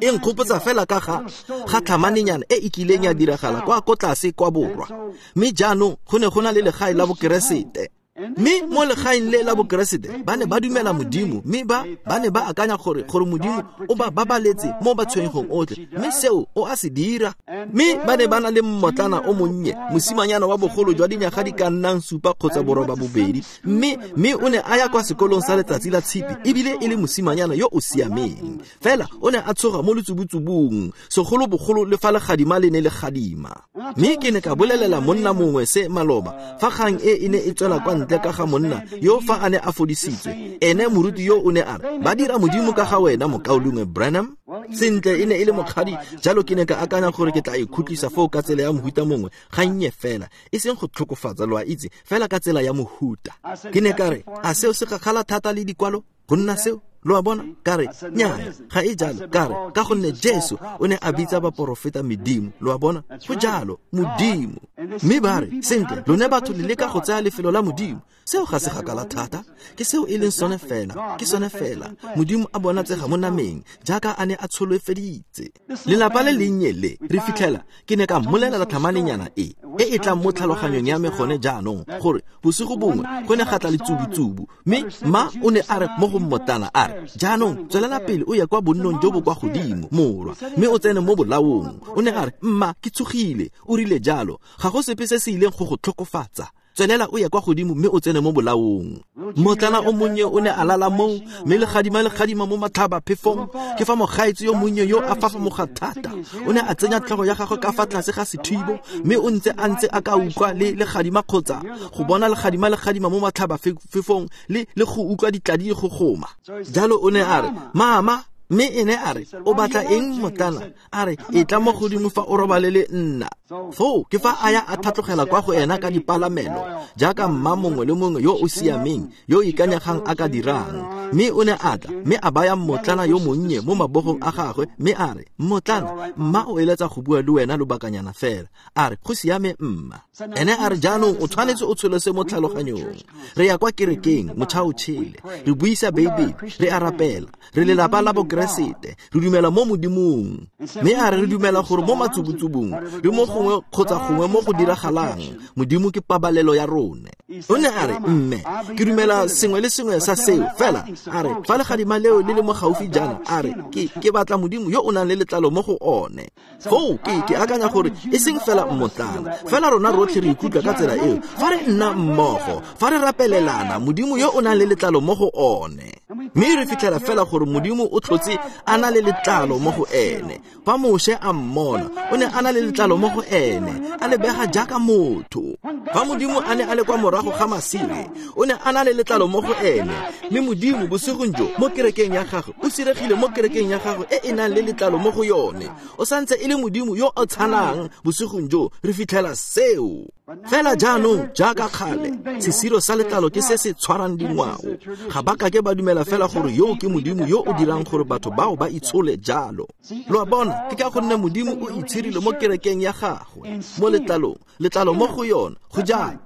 E nkgopotsa fela ka ga tlhamanenyana e e kileng ya diragala kwa ko tlase kwa borwa. Mme jaanong go ne go na le legae la Bokeresete. Mme mo legaeng le la Bokeresete ba ne ba dumela Modimo, mme ba ne ba akanya gore Modimo o ba babaletse mo batshwenyegong otlhe, mme seo o a se dira. Mme ba ne ba na le mmotlana o monnye, mosimanyana wa bogolo jwa dinyaga di ka nnang 7 kgotsa 8, mme o ne a ya kwa sekolong sa letsatsi la tshipi, ebile e le mosimanyana yo o siameng. Fela o ne a tshoga mo letsubutsubung, segolobogolo le fa legadima le ne le gadima. Mme ke ne ka bolelela monna mongwe se maloba, fa kgang e e ne e tswela kwa ntle ka ga monna yo fa a ne a fodisitswe. Ene moruti yo o ne a re, ba dira Modimo ka ga wena, mokaulengwe Branham. Sentle, e ne e le mokgadi, jalo ke ne ka akanya gore ke tla ikhutlisa foo ka tsela ya mohuta mongwe, gannye fela, e seng go tlhokofatsa, lo a itse, fela ka tsela ya mohuta. Ke ne ka re, a seo se gakgala thata le dikwalo go nna seo? Lo a bona? Ka re, nnyaya, ga e jalo. Ka re, ka gonne Jesu o ne a bitsa baporofeta medimo. Lo a bona? Go jalo, Modimo. Mme ba re, sentle, lone batho le leka go tsaya lefelo la Modimo. Seo ga se gakala thata. Ke seo e leng sone fela. Ke sone fela. Modimo a bonatsega mo nameng, jaaka a ne a tsholofeditse. Lelapa le lennye le, re fitlhela, ke ne ka mmolelela tlhamanenyana e e tlang mo tlhaloganyong ya me gone jaanong, gore bosigo bongwe go ne ga tla letsubutsubu, mme ma o ne a re mo go mmotlana a re, jaanong tswelela pele o ye kwa bonnong jo bo kwa godimo, morwa, mme o tsene mo bolaong. O ne a re, mma, ke tshogile, o rile jalo, ga go sepe se se ileng go go tlhokofatsa. Tswelela o ye kwa godimo mme o tsene mo bolaong. Mmotlana o monnye o ne a lala moo, mme legadima mo matlhaba phefong. Ke fa mogaetsi yo monnye yo a fafamoga thata. O ne a tsenya tlhogo ya gagwe ka fa tlase ga sethibo, mme o ntse a ntse a ka utlwa le legadima kgotsa go bona legadima mo matlhaba phefong le go utlwa ditladi go goma. Jalo o ne a re, mama, mme ene a re, o batla eng mmotlana? A re, e tla mo godimo fa o robale le nna. Foo ke fa a ya a tlhatlogela kwa go ena ka dipalamelo, jaaka mma mongwe le mongwe yo o siameng, yo o ikanyegang a ka dirang. Mme o ne a tla, mme a baya mmotlana yo monnye mo mabogong a gagwe, mme a re, mmotlana, mma o eletsa go bua le wena lobakanyana fela. A re, go siame mma. Ene a re, jaanong o tshwanetse o tshole se mo tlhaloganyong. Re ya kwa kerekeng, motšha o tšhele, re buisa Beibele, re a rapela, re lelapa la Bokeresete, re dumela mo Modimong. Mme a re re dumela gore mo matsubutsubung le mo gongwe kgotsa gongwe mo go diragalang, Modimo ke pabalelo ya rone. O ne a re, mme, ke dumela sengwe le sengwe sa seo, fela a re, fa legadima leo le le mo gaufi jaana, a re, ke batla Modimo yo o nang le letlalo mo go one. Foo ke akanya gore e seng fela mmotlana, fela rona rotlhe re ikutlwa ka tsela eo. Fa re nna mmogo, fa re rapelelana, Modimo yo o nang le letlalo mo go one. Mme re fitlhela fela gore Modimo o tlhotse a na le letlalo mo go ene. Fa Moshe a mmona, o ne a na le letlalo mo go ene, a lebega jaaka motho. Fa Modimo a ne a le kwa morago ga masire, o ne a na le letlalo mo go ene. Mme Modimo bosigong jo mo kerekeng ya gagwe, o siregile mo kerekeng ya gagwe e e nang le letlalo mo go yone. O santse e le Modimo yo o tshanang bosigong jo, re fitlhela seo. Fela jaanong jaaka kgale, sesiro sa letlalo ke se se tshwarang dingwao. Ga ba kake ba dumela fela gore yo ke Modimo yo o dirang gore batho bao ba itshole jalo. Lo a bona, ke ka gonne Modimo o itshirile mo kerekeng ya gagwe, mo letlalong, letlalo mo go yone, go jalo.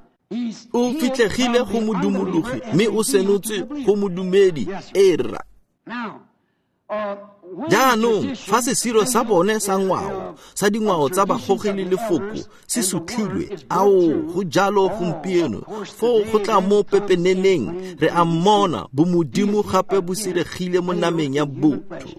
O fitlhegile go modumologi, mme o senotse go modumedi, era. Jaanong fa sesiro sa bone sa ngwao, sa dingwao tsa bagogi le lefoko se sutlhilwe, ao go jalo gompieno, foo go tla mo pepeneneng, re a mmona bomodimo gape bo siregile mo nameng ya botho.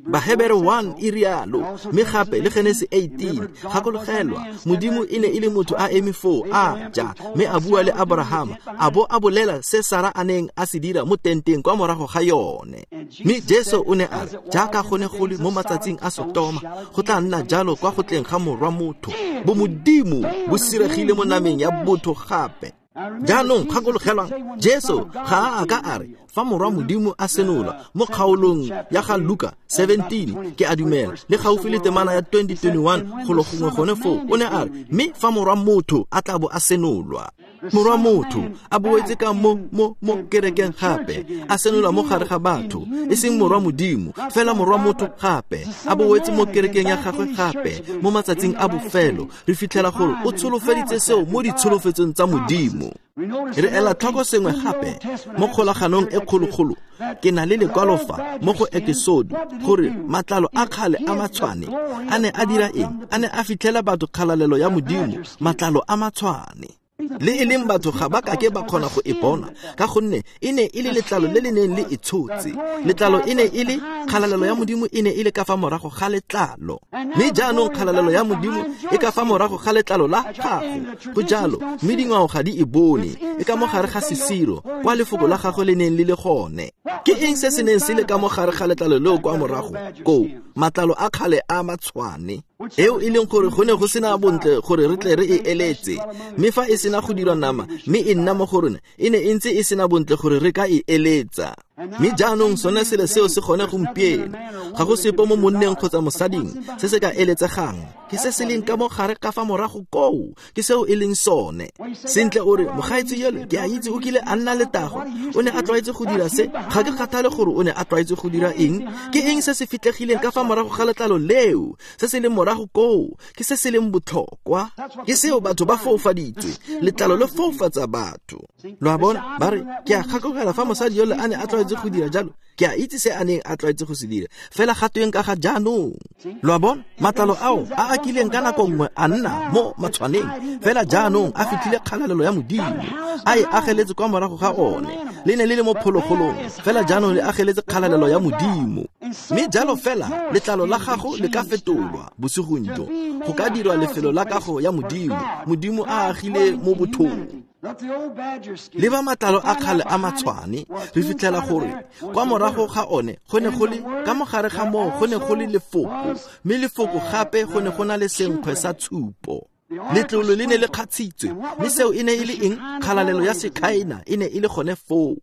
Bahebere 1 e rialo, mme gape le Genesi 18, gakologelwa, Modimo e ne e le motho a eme foo a ja, mme a bua le Abrahama, a bo a bolela se Sara a neng a se dira mo tenteng kwa morago ga yone. Mme Jesu o ne a re, jaaka go ne go le mo matsatsing a Sotoma, go tla nna jalo kwa go tleng ga morwa motho. Bomodimo bo siregile mo nameng ya botho gape. Jaanong gakologelwang, Jesu ga a ka a re fa morwa Modimo a senolwa mo kgaolong ya ga Luka 17, ke a dumela, le gaufi le temana ya 2021 golo gongwe gone foo, o ne a re mme fa morwa motho a tla bo a senolwa. Morwa motho a boetse ka mo kerekeng gape, a senolwa mo gare ga batho, e seng morwa Modimo, fela morwa motho gape, a boetse mo kerekeng ya gagwe gape mo matsatsing a bofelo. Re fitlhela gore o tsholofeditse seo mo ditsholofetsong tsa Modimo. Re ela tlhoko sengwe gape mo kgolaganong e kgologolo. Ke na le lekwalo fa mo go Ekesodo gore matlalo a kgale a matshwane a ne a dira eng? A ne a fitlhela batho kgalalelo ya Modimo, matlalo a matshwane. Le e leng batho ga ba kake ba kgona go e bona, ka gonne e ne e le letlalo le le neng le e tshotse. Letlalo e ne e le kgalalelo ya Modimo, e ne e le ka fa morago ga letlalo. Mme jaanong kgalalelo ya Modimo e ka fa morago ga letlalo la gago. Go jalo, mme dingwao ga di e bone, e ka mo gare ga sesiro, kwa lefoko la gagwe le neng le le gone. Ke eng se se neng se le ka mo gare ga letlalo leo kwa morago koo? Matlalo a kgale a matshwane, eo e leng gore go ne go sena bontle gore re tle re e eletse. Mme fa e sena go dirwa nama mme e nna mo go rona, e ne e ntse e sena bontle gore re ka e eletsa. Mme jaanong sone selo seo se gone gompieno. Ga go sepe mo monneng kgotsa mosading se se ka eletsegang, ke se se leng ka mo gare ka fa morago koo, ke seo e leng sone. Sentle o re, mogaetsi yole ke a itse o kile a nna letago, o ne a tlwaetse go dira se. Ga ke kgathale gore o ne a tlwaetse go dira eng. Ke eng se se fitlhegileng ka fa morago ga letlalo leo? Se se leng morago koo ke se se leng botlhokwa. Ke seo batho ba foufaditswe. Letlalo le foufatsa batho. Lo a bona? Ba re, ke a gakologelwa fa mosadi yole a ne a tlwaetse go dira jalo, ke a itse se a neng a tlwaetse go se dira, fela ga tweng ka ga jaanong? Lo a bona? Matlalo ao a a kileng ka nako nngwe a nna mo matshwaneng, fela jaanong a fitlhile kgalalelo ya Modimo, a e ageletse kwa morago ga one. Le ne le le mo phologolong, fela jaanong le ageletse kgalalelo ya Modimo. Mme jalo fela letlalo la gago le ka fetolwa bosigong jo, go ka dirwa lefelo la kago ya Modimo, Modimo a agile mo bothong. Le ba matlalo a kgale a matshwane, re fitlhela gore kwa morago ga one go ne go le ka mogare ga moo go ne go le lefoko, mme lefoko gape go ne go na le senkgwe sa tshupo. Letlolo le ne le kgatshitswe, mme seo e ne e le eng? Kgalalelo ya Sekhaena e ne e le gone foo.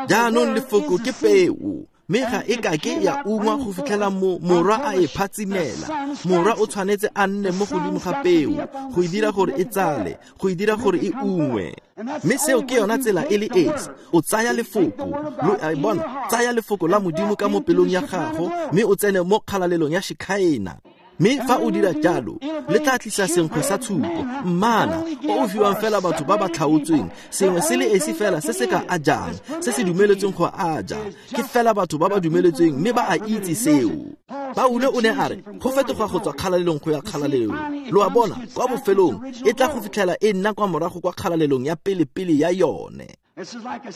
Jaanong lefoko ke peo, mme ga e kake ya ungwa go fitlhela morwa a e phatsimela. Morwa o tshwanetse a nne mo godimo ga peo go e dira gore e tsale, go e dira gore e ungwe. Mme seo ke yona tsela e le esi. O tsaya lefoko, lo a bona, tsaya lefoko la Modimo ka mo pelong ya gago, mme o tsene mo kgalalelong ya Shekhaena. Mme fa o dira jalo, le tla tlisa senkgwe sa tshupo, mmana o o fiwang fela batho ba ba tlhaotsweng, sengwe se le esi fela se se ka a jang, se se dumeletsweng go a ja, ke fela batho ba ba dumeletsweng, mme ba a itse seo. Paulo o ne a re, go fetoga go tswa kgalalelong go ya kgalalelong. Lo a bona, kwa bofelong e tla go fitlhela e nna kwa morago kwa kgalalelong ya pele-pele ya yone.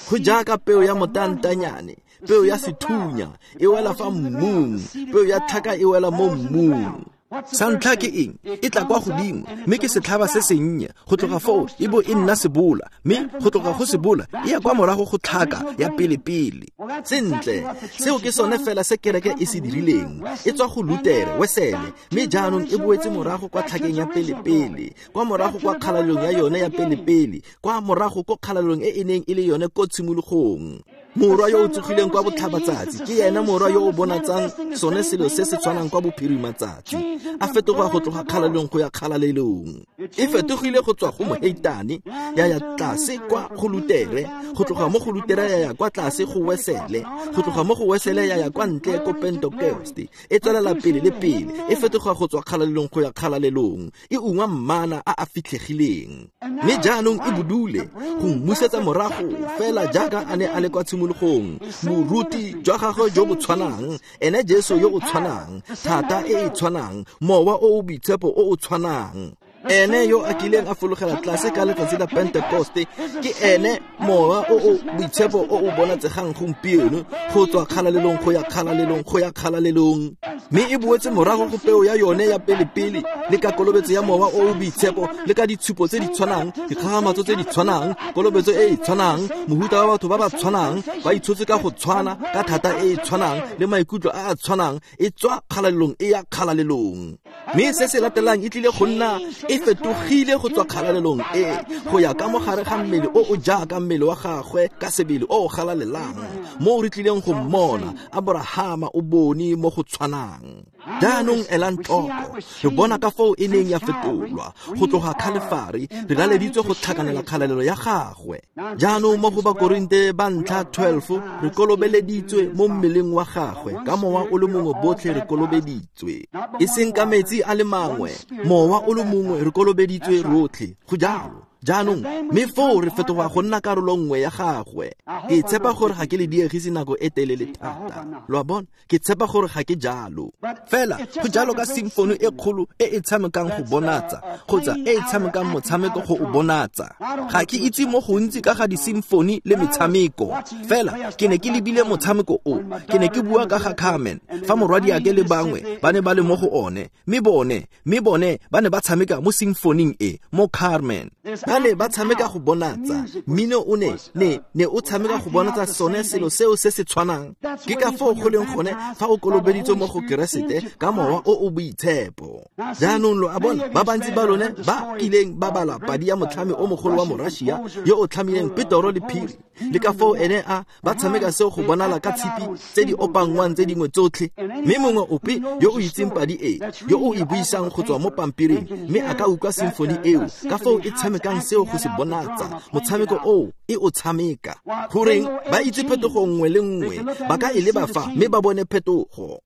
Go jaaka peo ya motantanyane, peo ya sethunya e wela fa mmung, peo ya tlhaka e wela mo mmung. Sa ntlha ke eng? E tla kwa godimo, mme ke setlhaba se sennye. Go tloga foo e bo e nna sebola, mme go tloga go sebola e ya kwa morago go tlhaka ya pele-pele. Sentle, seo ke sone fela se kereke e se dirileng. E tswa go Lutere, Wesele, mme jaanong e boetse morago kwa tlhakeng ya pele-pele, kwa morago kwa kgalalelong ya yone ya pele-pele, kwa morago ko kgalalelong e e neng e le yone ko tshimologong. Morwa yo o tsogileng kwa botlhabatsatsi ke ena morwa yo o bonatsang sone selo se se tshwanang kwa bophirimatsatsi, a fetoga go tloga kgalalelong go ya kgalalelong. E fetogile go tswa go moheitane ya ya tlase kwa go Lutere, go tloga mo go Lutere ya ya kwa tlase go Wesele, go tloga mo go Wesele ya ya kwa ntle ko Pentekoste. E tswelela pele le pele, e fetoga go tswa kgalalelong go ya kgalalelong, e ungwa mmana a a fitlhegileng. Mme jaanong e bodule go mmusetsa morago fela jaaka a ne a le kwa tshimologong, boruti jwa gagwe jo bo tshwanang, ene Jesu yo o tshwanang, thata e e tshwanang, mowa o o boitshepo o o tshwanang. Ene yo a kileng a fologela tlase ka letsatsi la Pentekoste ke ene mowa o o boitshepo o o bonatsegang gompieno, go tswa kgalalelong go ya kgalalelong go ya kgalalelong. Mme e boetse morago go peo ya yone ya pele-pele, le ka kolobetso ya mowa o o boitshepo, le ka ditshupo tse di tshwanang, dikgakgamatso tse di tshwanang, kolobetso e e tshwanang, mohuta wa batho ba ba tshwanang, ba itshotse ka go tshwana, ka thata e e tshwanang, le maikutlo a a tshwanang, e tswa kgalalelong e ya kgalalelong. Mme se se latelang e tlile go nna e fetogile go tswa kgalalelong e go ya ka mogare ga mmele o o jaaka mmele wa gagwe ka sebele o o galalelang, mo re tlileng go mmona. Abrahama o bone mo go tshwanang. Jaanong elang tlhoko, re bona ka foo e neng ya fetolwa go tloga Khalefari, re laleditswe go tlhakanela kgalalelo ya gagwe. Jaanong mo go Bakorinte ba ntlha 12, re kolobeleditswe mo mmeleng wa gagwe ka mowa o le mongwe, botlhe re kolobeditswe, e seng ka metsi a le mangwe, mowa o le mongwe, re kolobeditswe rotlhe. Go jalo. Jaanong mme foo re fetoga go nna karolo nngwe ya gagwe. Ke tshepa gore ga ke le diegise nako e telele thata, lo a bona, ke tshepa gore ga ke jalo. Fela go jalo ka simfoni e kgolo e e tshamekang go bonatsa, kgotsa e e tshamekang motshameko go o bonatsa. Ga ke itse mo gontsi ka ga disimfoni le metshameko, fela ke ne ke lebile motshameko o, ke ne ke bua ka ga Carmen, fa morwadiake le bangwe ba ne ba le mo go one, mme bone ba ne ba tshameka mo simfoning e mo Carmen. Ba ne ba tshameka go bonatsa mmino, o ne ne o tshameka go bonatsa sone selo seo se se tshwanang. Ke ka foo go leng gone fa o kolobeditswe mo go Keresete ka mowa o o boitshepo. Jaanong lo a bona, ba bantsi ba lone ba kileng ba bala padi ya motlhami o mogolo wa Morussia yo o tlhamileng Petoro le Phiri, le ka foo ene a ba tshameka seo go bonala ka tshipi tse di opanngwang tse dingwe tsotlhe. Mme mongwe ope yo o itseng padi e, yo o e buisang go tswa mo pampiring, mme a ka utlwa simfoni eo ka foo e tshamekang seo go se bonatsa motshameko oo e o tshameka. Goreng ba itse phetogo nngwe le nngwe, ba ka e leba fa mme ba bone phetogo.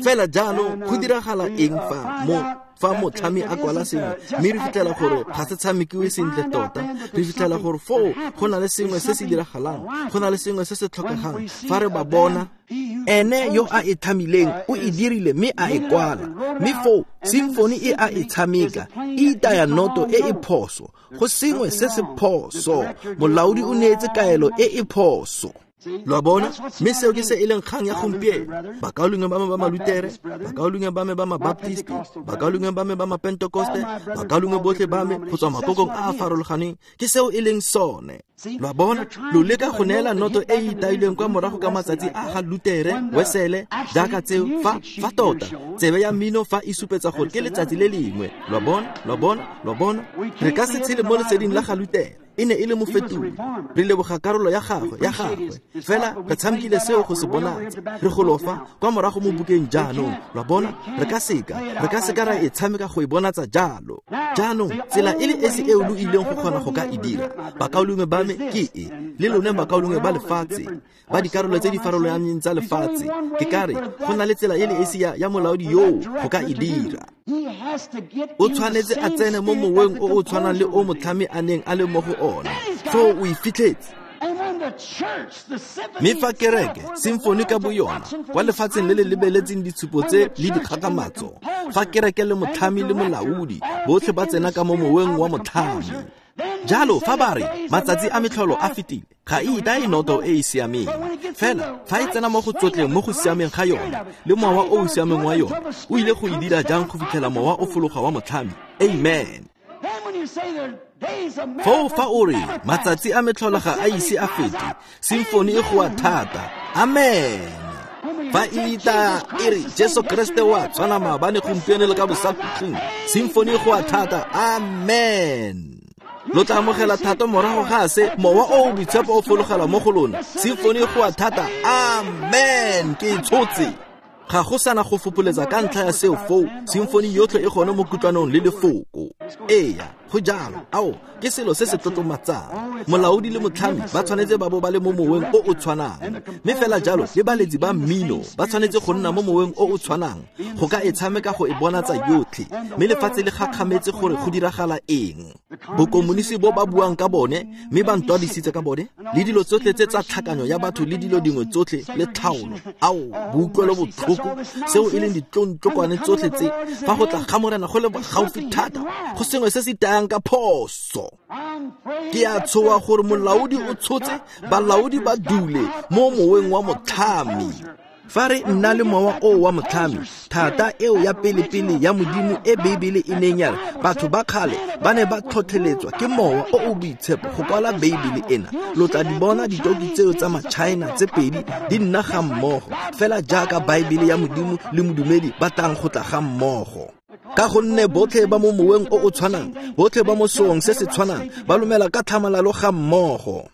Fela jaanong go diragala eng fa motlhami a kwala sengwe, mme re fitlhela gore ga se tshamekiwe sentle tota? Re fitlhela gore foo go na le sengwe se se diragalang, go na le sengwe se se tlhokegang. Fa re ba bona, ene yo a e tlhamileng o e dirile mme a e kwala, mme foo simfoni e a e tshameka e itaya noto e e phoso, go sengwe se se phoso, molaodi o neetse kaelo e e phoso. Lo a bona, mme seo ke se e leng kgang ya gompieno. Bakaulengwe ba me ba Malutere, bakaulengwe ba me ba Mabaptisti, bakaulengwe ba me ba Mapentekoste, bakaulengwe botlhe ba me go tswa makokong a a farologaneng, ke seo e leng sone. Lo a bona, lo leka go neela noto e e itailweng kwa morago ka matsatsi a ga Lutere, Wesele, jaaka tseo, fa tota tsebe ya mmino fa e supetsa gore ke letsatsi le lengwe. Lo a bona, lo a bona, lo a bona, re ka se tshele mo leseding la ga Lutere. E ne e le mofetodi, re leboga karolo ya gagwe, fela re tshamekile seo go se bonatsa. Re golofa kwa morago mo bukeng jaanong, lo a bona, re ka seka ra e tshameka go e bonatsa jalo. Jaanong tsela e le esi eo lo ileng go kgona go ka e dira, bakaulengwe ba me, ke e le lone bakaulengwe ba lefatshe, ba dikarolo tse di farologaneng tsa lefatshe, ke ka re go na le tsela e le esi ya molaodi yoo go ka e dira. O tshwanetse a tsene mo moweng o o tshwanang le o motlhami a neng a le mo go ona, foo o e fitlhetse. Mme fa kereke, simfoni ka boyona, kwa lefatsheng le le lebeletseng ditshupo tse le dikgakgamatso, fa kereke le motlhami le molaodi botlhe ba tsena ka mo moweng wa motlhami, jalo fa ba re matsatsi a metlholo a fetile, ga e itae noto e e siameng. Fela fa e tsena mo go tsotleng mo go siameng ga yona le mowa o o siameng wa yona, o ile go e dira jang go fitlhela mowa o fologa wa motlhami? Amen. Foo fa o re matsatsi a metlholo ga a ise a fete, simfoni e goa thata. Amen. Fa e itaya e re Jesu Kreste wa tshwana maabane, gompieno le ka bosakhutleng, simfoni e goa thata. Amen. Lo tla amogela thata morago ga se mowa o o boitshepo o fologela mo go lona, simfoni e goa thata. Amen. Ke e tshotse. Ga go sana go fopoletsa ka ntlha ya seo foo, simfoni yotlhe e gone mo kutlwanong le lefoko. Eya, go jalo. Ao, ke selo se se tlotlomatsang. Molaodi le motlhami ba tshwanetse ba bo ba le mo moweng o o tshwanang, mme fela jalo le baletsi ba mmino ba tshwanetse go nna mo moweng o o tshwanang go ka e tshameka go e bonatsa yotlhe. Mme lefatshe le gakgametse gore go diragala eng. Bokomonisi bo ba buang ka bone, mme ba ntwadisitse ka bone, le dilo tsotlhe tse tsa tlhakanyo ya batho le dilo dingwe tsotlhe le tlhaolo, ao, boutlwelo botlhoko, seo e leng ditlontlokwane tsotlhe tse, fa go tla ga Morena go le gaufi thata, go sengwe se se itayang ka phoso. Ke a tshoga gore molaodi o tshotse balaodi ba dule mo moweng wa motlhami. Fa re nna le mowa o wa motlhami, thata eo ya pele-pele ya Modimo e Beibele e neng ya re batho ba kgale ba ne ba tlhotlheletswa ke mowa o o boitshepo go kwala Beibele ena, lo tla di bona ditoki tseo tsa maChina tse pedi di nna ga mmogo, fela jaaka Baebele ya Modimo le modumedi ba tlang go tla ga mmogo. Ka gonne botlhe ba mo moweng o o tshwanang, botlhe ba mo seong se se tshwanang, ba lumela ka tlhamalalo ga mmogo.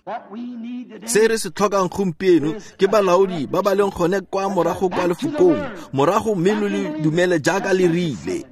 Se re se tlhokang gompieno ke balaodi ba ba leng gone kwa morago kwa lefokong, morago mme lo le dumele jaaka le rile.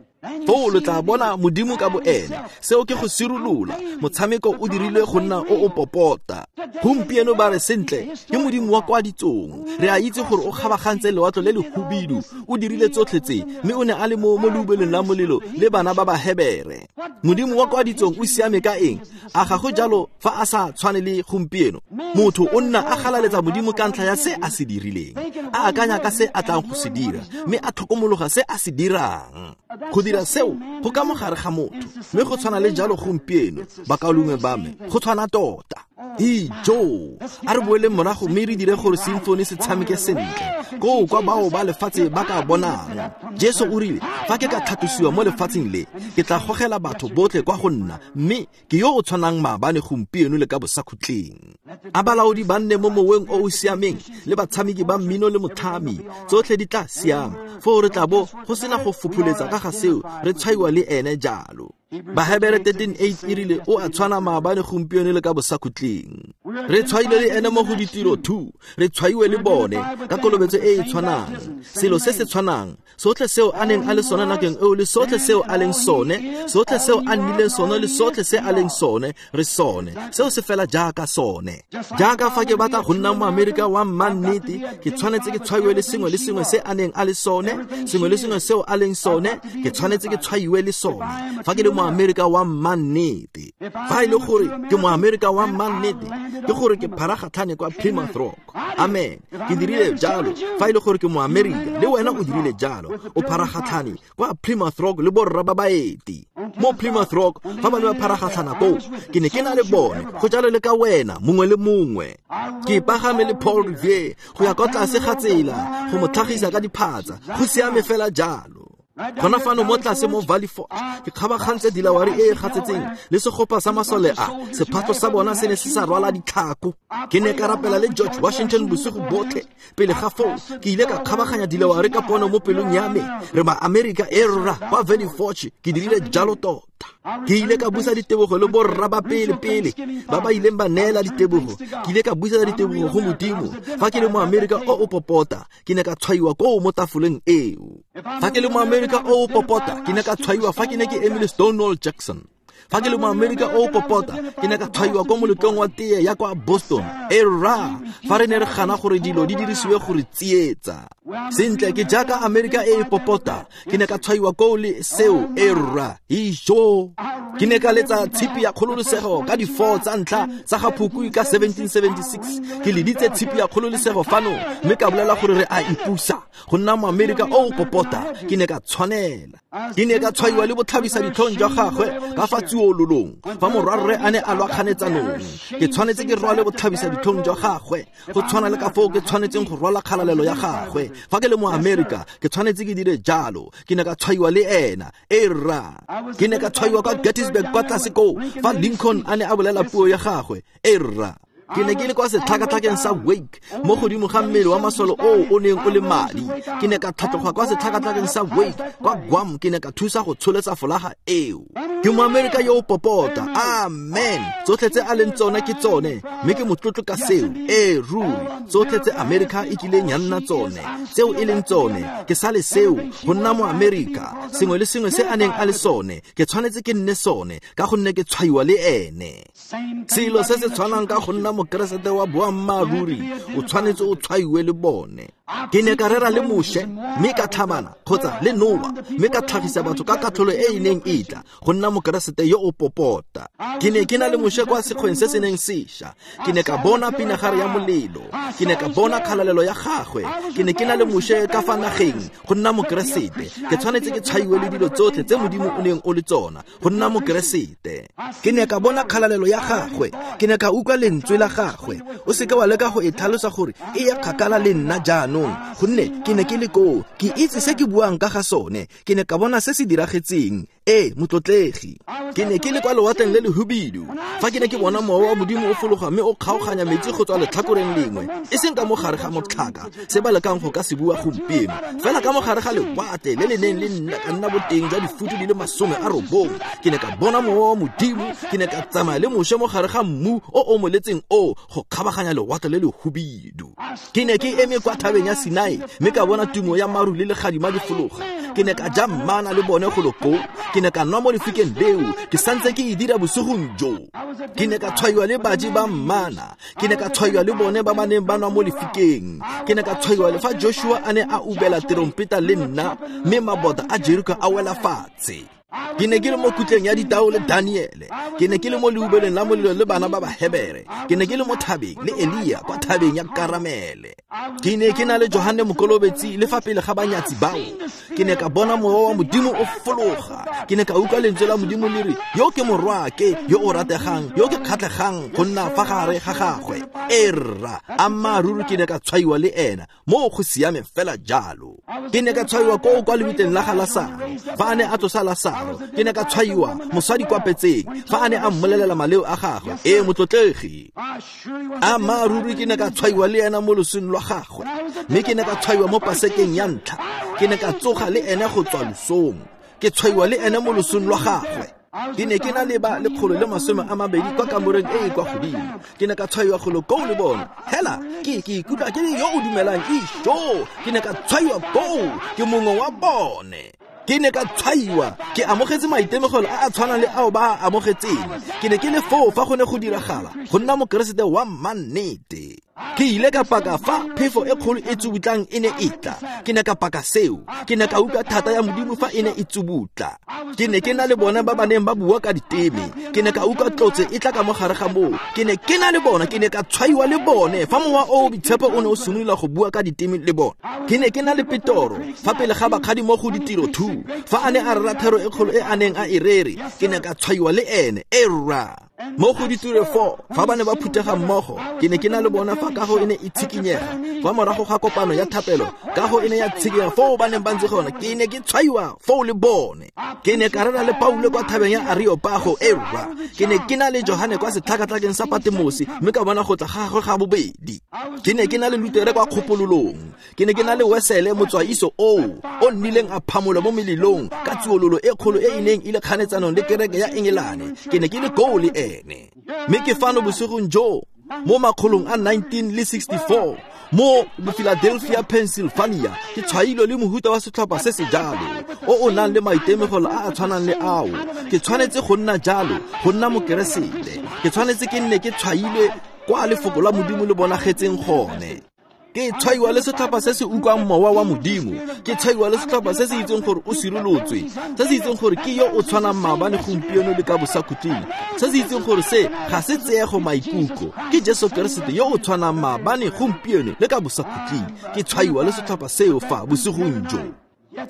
Foo lo tla bona Modimo ka boene. Seo ke go sirolola. Motshameko o dirilwe go nna o o popota. Gompieno ba re sentle ke Modimo wa kwa ditsong. Re a itse gore o kgabagantse lewatle le le hubidu, o dirile tsotlhe tse, mme o ne a le mo mo leubelong la molelo le bana ba Bahebere. Modimo wa kwa ditsong o siame ka eng? A ga go jalo fa a sa tshwane le gompieno? Motho o nna a galaletsa Modimo ka ntlha ya se a se dirileng, a akanya ka se a tlang go se dira, mme a tlhokomologa se a se dirang. Go dira seo go ka mogare ga motho, mme go tshwana le jalo gompieno, bakaulengwe ba me, go tshwana tota. Ijo, a re boeleng morago mme re dire gore simfone se tshameke sentle koo kwa bao ba lefatshe ba ka bonang. Jesu o rile, fa ke ka tlhatlosiwa mo lefatsheng le, ke tla gogela batho botlhe kwa go nna, mme ke yo o tshwanang maabane, gompieno le ka bosakhutleng. A balaodi ba nne mo moweng o o siameng, le batshameki ba mmino le motlhami, tsotlhe di tla siama. Foo re tla bo go sena go fopholetsa ka ga seo, re tshwaiwa le ene jalo. Bahebere 13:8 e rile o a tshwana maabane, gompieno le ka bosakhutleng. Re tshwaile le ene mo go ditiro 2, re tshwaiwe le bone ka kolobetso e e tshwanang, selo se se tshwanang, sotlhe seo a neng a le sone nakeng eo le sotlhe seo a leng sone, sotlhe seo a nnileng sone le sotlhe se a leng sone, re sone. Seo se fela jaaka sone. Jaaka fa ke batla go nna moAmerika wa mmannete, ke tshwanetse ke tshwaiwe le sengwe le sengwe se a neng a le sone, sengwe le sengwe seo a leng sone, ke tshwanetse ke tshwaiwe le sone. Fa ke le moAmerika wa mmannete, fa e le gore ke moAmerika wa mmannete, ke gore ke pharagatlhane kwa Plymouth Rock. Amen. Ke dirile jalo. Fa e le gore ke moAmerika, le wena o dirile jalo. O pharagatlhane kwa Plymouth Rock le borra ba baeti. Mo Plymouth Rock, fa ba ne ba pharagatlhana koo, ke ne ke na le bone, go jalo le ka wena, mongwe le mongwe. Ke pagame le Paul Revere go ya kwa tlase ga tsela go mo tlhagisa ka diphatsa, go siame fela jalo. Gona fano mo tlase mo Valley Forge, ke kgabagantse dilawari e e gatsetseng le segopa sa masole a, sephatlo sa bona se ne se sa rwala ditlhako. Ke ne ka rapela le George Washington bosigo botlhe. Pele ga foo, ke ile ka kgabaganya dilawari ka pono mo pelong ya me. Re ba Amerika e rra kwa Valley Forge, ke dirile jalo tota. Ke ile ka busa ditebogo le borra ba pele-pele ba ba ileng ba neela ditebogo. Ke ile ka busa ditebogo go Modimo. Fa ke le moAmerika o o popota, ke ne ka tshwaiwa koo mo tafoleng eo. Fa ke le moAmerika o o popota, ke ne ka tshwaiwa fa ke ne ke eme le Stonewall Jackson. Fa ke le moAmerika o o popota, ke ne ka tshwaiwa ko moletlong wa tee ya kwa Boston. E rra, fa re ne re gana gore dilo di dirisiwe gore tsietsa. Sentle, ke jaaka Amerika e e popota, ke ne ka tshwaiwa koo le seo. E rra, ijo. Ke ne ka letsa tshipi ya kgololosego ka di-4 tsa ntlha tsa ga Phukwi ka 1776. Ke leditse tshipi ya kgololosego fano, mme ka bolela gore re a ipusa. Go nna moAmerika o o popota, ke ne ka tshwanela. Ke ne ka tshwaiwa le botlhabisa ditlhong jwa gagwe ka fa tsuololong, fa morwarre a ne a lwa kganetsanong. Ke tshwanetse ke rwale botlhabisa ditlhong jwa gagwe, go tshwana le ka foo ke tshwanetseng go rwala kgalalelo ya gagwe. Fa ke le moAmerika, ke tshwanetse ke dire jalo. Ke ne ka tshwaiwa le ena. E rra, ke ne ka tshwaiwa kwa Gettysburg kwa tlase koo, fa Lincoln a ne a bolela puo ya gagwe. E rra, ke ne ke le kwa setlhakatlhakeng sa Wake mo godimo ga mmele wa masole oo o neng o le madi. Ke ne ka tlhatloga kwa setlhakatlhakeng sa Wake kwa Guam, ke ne ka thusa go tsholetsa folaga eo. Ke moAmerika yo o popota. Amen. Tsotlhe tse a leng tsone ke tsone, mme ke motlotlo ka seo. E ruri, tsotlhe tse Amerika e kileng ya nna tsone, tseo e leng tsone, ke sale seo go nna moAmerika. Sengwe le sengwe se a neng a le sone, ke tshwanetse ke nne sone, ka gonne ke tshwaiwa le ene. Selo se se tshwanang ka go nna mokeresete wa boammaaruri, o tshwanetse o tshwaiwe le bone. Ke ne ka rera le Moshe, mme ka tlhabana, kgotsa le Noa, mme ka tlhagisa batho ka katlholo e e neng e tla, go nna mokeresete yo o popota. Ke ne ke na le Moshe kwa sekgweng se se neng sesha. Ke ne ka bona pinagare ya molelo. Ke ne ka bona kgalalelo ya gagwe. Ke ne ke na le Moshe ka fa nageng, go nna mokeresete. Ke tshwanetse ke tshwaiwe le dilo tsotlhe tse Modimo o neng o le tsona, go nna mokeresete. Ke ne ka bona kgalalelo ya gagwe. Ke ne ka utlwa lentswe la gagwe. O seke wa leka go e tlhalosa gore e ya kgakala le nna jaanong. jaanong, gonne ke ne ke le koo, ke itse se ke buang ka ga sone, ke ne ka bona se se diragetseng. Ee, motlotlegi. Ke ne ke le kwa lewatleng le lehubidu fa ke ne ke bona mowa wa Modimo o fologa mme o kgaoganya metsi go tswa letlhakoreng lengwe, e seng ka mo gare ga motlhaka, se ba lekang go ka se bua gompieno, fela ka mo gare ga lewatle le le neng le ka nna boteng jwa difutu di le 90. Ke ne ka bona mowa wa Modimo, ke ne ka tsamaya le Moshe mo gare ga mmu o o moletseng o go kgabaganya lewatle le lehubidu. Ke ne ke eme kwa thabeng ya Sinai mme ka bona tumo ya maru le legadima di fologa. Ke ne ka ja mmana le bone golo koo, ke ne ka nwa mo lefikeng leo, ke santse ke e dira bosigong jo. Ke ne ka tshwaiwa le baji ba mmana, ke ne ka tshwaiwa le bone ba ba neng ba nwa mo lefikeng. Ke ne ka tshwaiwa le fa Joshua a ne a ubela terompeta le nna, mme mabota a Jeriko a wela fatshe. Ke ne ke le mo kutleng ya ditao le Daniele, ke ne ke le mo leubeleng la molelo le bana ba Bahebere, ke ne ke le mo thabeng le Elia kwa thabeng ya Karamele. Ke ne ke na le Johane Mokolobetsi le fa pele ga banyatsi bao. Ke ne ka bona mowa wa Modimo o fologa, ke ne ka utlwa lentswe la Modimo le re, yo ke morwaake yo o rategang, yo ke kgatlhegang go nna fa gare ga gagwe. E rra, ammaaruri ke ne ka tshwaiwa le ena, mo go siame fela jalo. Ke ne ka tshwaiwa koo kwa lebitleng la ga Lasaro fa a ne a tsosa Lasaro. Ke ne ka tshwaiwa mosadi kwa petseng fa a ne a mmolelela maleo a gagwe. Ee, motlotlegi. Ammaaruri ke ne ka tshwaiwa le ena mo losong lwa gagwe, mme ke ne ka tshwaiwa mo pasekeng ya ntlha. Ke ne ka tsoga le ene go tswa losong, ke tshwaiwa le ene mo losong lwa gagwe. Ke ne ke na le ba 120 kwa kamoreng e e kwa godimo. Ke ne ka tshwaiwa golo koo le bone. Hela, ke ikutlwa ke le yo o dumelang isho. Ke ne ka tshwaiwa koo, ke mongwe wa bone. Ke ne ka tshwaiwa, ke amogetse maitemogelo a a tshwanang le ao ba a amogetseng. Ke ne ke le foo fa go ne go diragala, go nna mokeresete wa mannete. Ke ile ka paka fa phefo e kgolo e tsubutlang e ne e tla. Ke ne ka paka seo. Ke ne ka utlwa thata ya Modimo fa e ne e tsubutla. Ke ne ke na le bona ba ba neng ba bua ka diteme. Ke ne ka utlwa tlotse e tla ka mo gare ga moo. Ke ne ke na le bona, ke ne ka tshwaiwa le bone fa mowa o o boitshepo o ne o simolola go bua ka diteme le bone. Ke ne ke na le Petoro fa pele ga bakgadi mo go ditiro 2 fa a ne a rera thero e kgolo e a neng a e rere. Ke ne ka tshwaiwa le ene. E rra. Mo go ditiro 4 fa ba ne ba phuthega mmogo, ke ne ke na le bona fa kago e ne e tshikinyega. Fa morago ga kopano ya thapelo, kago e ne ya tshikinyega foo ba neng ba ntse gona. Ke ne ke tshwaiwa foo le bone. Ke ne ka rera le Paulo kwa thabeng ya Areopago. E rra. Ke ne ke na le Johane kwa setlhakatlhakeng sa Patemosi, mme ka bona go tla ga gagwe ga bobedi. Ke ne ke na le Lutere kwa kgopololong. Ke ne ke na le Wesele motswaiso oo o nnileng a phamolwa mo melelong ka tsuololo e kgolo e e neng e le kganetsanong le kereke ya Engelane. Ke ne ke le koo le ene. Mme ke fano bosigong jo mo makgolong a 1964 mo Philadelphia, Pennsylvania, ke tshwailwe le mohuta wa setlhopha se se jalo o o nang le maitemogelo a a tshwanang le ao. Ke tshwanetse go nna jalo, go nna mokeresete. Ke tshwanetse ke nne ke tshwailwe kwa lefoko la Modimo le bonagetseng gone. Ke tshwaiwa le setlhopha se se utlwang mowa wa Modimo. Ke tshwaiwa le setlhopha se se itseng gore o sirolotswe, se se itseng gore ke yo o tshwanang maabane, gompieno le ka bosakhutleng, se se itseng gore se ga se tseego maikutlo, ke Jesu Keresete yo o tshwanang maabane, gompieno le ka bosakhutleng. Ke tshwaiwa le setlhopha seo fa bosigong jo.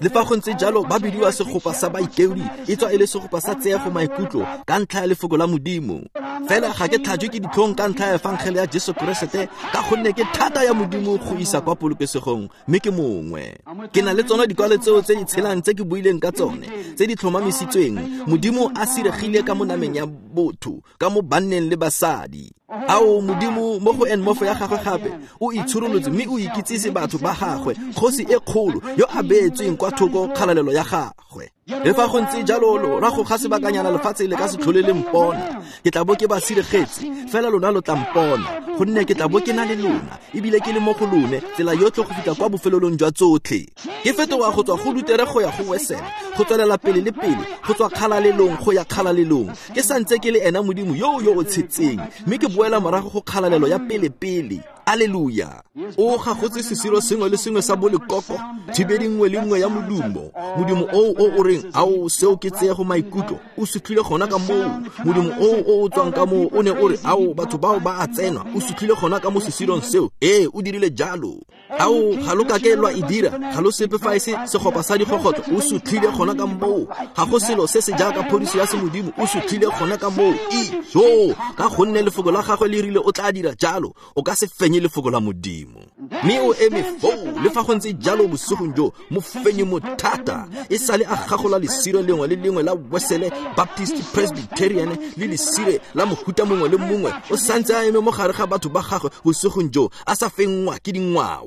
Le fa go ntse jalo, ba bidiwa segopa sa baikeodi, e tswa e le segopa sa tseego maikutlo ka ntlha ya lefoko la Modimo. Fela ga ke tlhajwe ke ditlhong ka ntlha ya efangele ya Jesu Keresete, ka gonne ke thata ya Modimo go isa kwa polokesegong, mme ke mongwe. Ke na le tsone dikwalo tseo tse di tshelang tse ke buileng ka tsone, tse di tlhomamisitsweng. Modimo a siregile ka mo nameng ya botho, ka mo banneng le basadi. Ao Modimo mo go enmofo ya gagwe gape o itshurolotse mme o ikitsise batho ba gagwe, kgosi e kgolo yo a beetsweng kwa thoko kgalalelo ya gagwe. Le fa go ntse jalo, lorago ga sebakanyana lefatshe le ka se tlhole le mpona. Ke tla bo ke ba siregetse, fela lona lo tla mpona, gonne ke tla bo ke na le lona, ebile ke le mo go lone tsela yotlhe go fitlha kwa bofelelong jwa tsotlhe. Ke fetoga go tswa go Lutere go ya go Wesele, go tswelela pele le pele, go tswa kgalalelong go ya kgalalelong. Ke santse ke le ena Modimo yo yo o tshetseng, mme ke boela morago go kgalalelo ya pele-pele. Alleluia. O gagotse sesiro sengwe le sengwe sa bolekoko, thibedi nngwe le nngwe ya modumo. Modumo oo o o reng, ao seo ke tseego maikutlo, o sutlhile gona ka moo. Modumo oo o o tswang ka moo o ne o re, ao batho bao ba a tsenwa, o sutlhile gona ka mo sesirong seo. Ee, o dirile jalo. Ao, ga lo kake lwa e dira, ga lo sepe fa e se segopa sa digogotlo, o sutlhile gona ka moo. Ga go selo se se jaaka phodiso ya semodimo, o sutlhile gona ka moo. Ijo, ka gonne lefoko la gagwe le rile o tla dira jalo, o ka se fenye lefoko la Modimo. Mme o eme foo, le fa go ntse jalo bosigong jo, mofenyi mothata, e sale a gagola lesire lengwe le lengwe la Wesele, Baptist, Presbyterian, le lesire la mohuta mongwe le mongwe, o santse a eme mo gare ga batho ba gagwe bosigong jo, a sa fenngwa ke dingwao.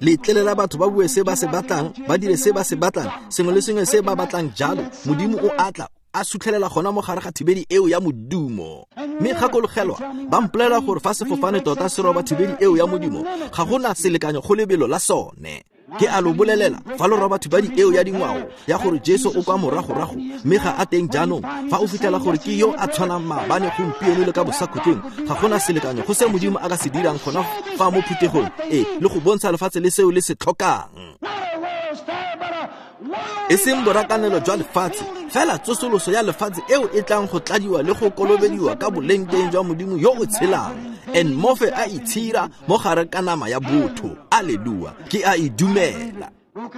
Letlelela batho ba bue se ba se batlang, ba dire se ba se batlang, sengwe le sengwe se ba batlang jalo. Modimo o atla a sutlhelela gona mo gare ga thibedi eo ya modumo. Mme gakologelwa, ba mpolelela gore fa sefofane tota se roba thibedi eo ya modumo, ga gona selekanyo go lebelo la sone. Ke a lo bolelela, fa lo roba thibedi eo ya dingwao ya gore Jesu o kwa moragorago, mme ga a teng jaanong, fa o fitlhela gore ke yo a tshwanang maabane, gompieno le ka bosakhutleng, ga gona selekanyo go se Modimo a ka se dirang gona fa mo phuthegong e, le go bontsha lefatshe le seo le se tlhokang. E seng borakanelo jwa lefatshe, fela tsosoloso ya lefatshe eo e tlang go tladiwa le go kolobediwa ka boleng teng jwa Modimo yo o tshelang, en mofe a itshira mo gare ka nama ya botho. Alleluia, ke a e dumela.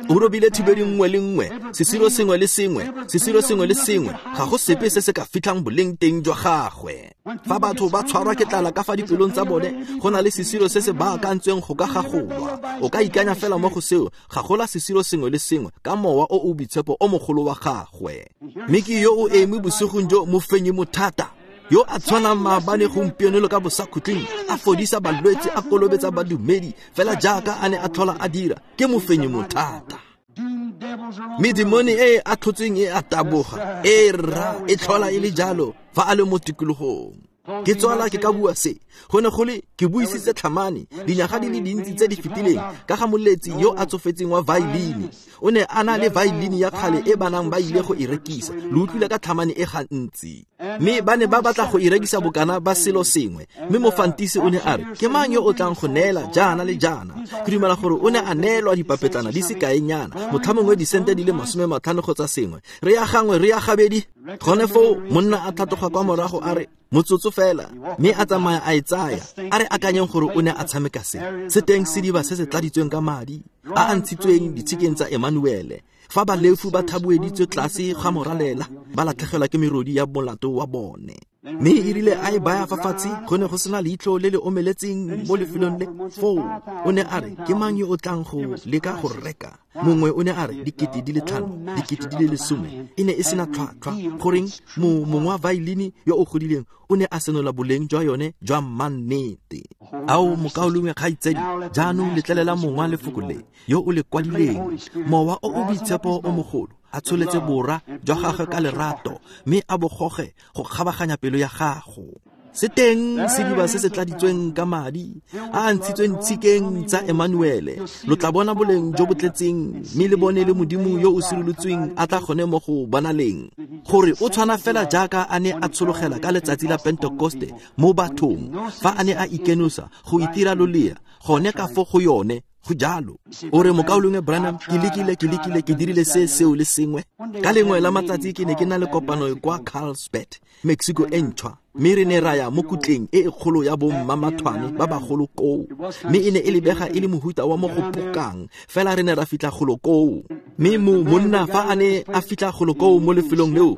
O robile thibedi nngwe le nngwe, sesiro sengwe le sengwe, sesiro sengwe le sengwe, ga go sepe se se ka fitlhang boleng teng jwa gagwe. Fa batho ba tshwarwa ke tlala ka fa dipelong tsa bone, go na le sesiro se se baakantsweng go ka gagolwa. O ka ikanya fela mo go seo, gagola sesiro sengwe le sengwe ka mowa o o boitshepo o mogolo wa gagwe. Mme ke yo o eme bosigong jo, mofenyi mothata, yo a tshwanang maabane, gompieno le ka bosakhutleng, a fodisa balwetse, a kolobetsa badumedi, fela jaaka a ne a tlhola a dira. Ke mofenyi mothata. Medimone e a tlhotsweng e a taboga, e rra e tlhola e le jalo fa a le mo tikologong. Ke tswala ke ka bua se, go ne go le ke buisitse tlhamane dinyaga di le dintsi tse di fetileng ka ga moletsi yo a tsofetseng wa violini. O ne a na le violini ya kgale e banang ba ile go e rekisa. Lo utlwile ka tlhamane e gantsi. Mme ba ne ba batla go e rekisa bokana ba selo sengwe, mme mofantisi o ne a re, ke mang yo o tlang go neela jaana le jaana? Ke dumela gore o ne a neelwa dipapetlana di sekaenyana, motlhamongwe disente di le 50 kgotsa sengwe. Re ya gangwe, re ya gabedi. Gone foo monna a tlhatloga kwa morago a re, motsotso fela, mme a tsamaya a e tsaya. A re akanyeng gore o ne a tshameka se. Se teng sediba se se tladitsweng ka madi a a ntshitsweng ditshikeng tsa Emanuele, fa balefu ba thabueditswe tlase ga moralela, ba latlhegelwa ke merodi ya molato wa bone. Mme e rile a e baya fa fatshe, go ne go sena leitlho le le omeletseng mo lefelong le. Foo o ne a re, ke mang yo o tlang go leka go reka? Mongwe o ne a re, 5 000, 10,000. E ne e sena tlhwatlhwa. Goreng mongwe wa violini yo o godileng o ne a senola boleng jwa yone jwa mannete. Ao mokaulengwe kgaitsadi, jaanong letlelela mongwe wa lefoko le yo o le kwadileng, mowa o o boitshepo o mogolo, a tsholetse bora jwa gagwe ka lerato, mme a bogoge go kgabaganya pelo ya gago. Se teng sediba se se tladitsweng ka madi a a ntshitsweng tshikeng tsa Emanuele. Lo tla bona boleng jo bo tletseng, mme le bone le Modimo yo o sirolotsweng a tla gone mo go bonaleng, gore o tshwana fela jaaka a ne a tshologela ka letsatsi la Pentekoste mo bathong, fa a ne a ikenosa go itira lolea gone ka fo go yone. Go jalo. O re, mokaulengwe Branham, ke lekile, ke lekile, ke dirile se, seo le sengwe. Ka lengwe la matsatsi ke ne ke na le kopano kwa Carlsbad, Mexico e ntšhwa, mme re ne ra ya mo kutleng e e kgolo ya bommamathwane ba bagolo koo, mme e ne e lebega e le mohuta wa mo go pokang, fela re ne ra fitlha golo koo. Mme monna fa a ne a fitlha golo koo mo lefelong leo,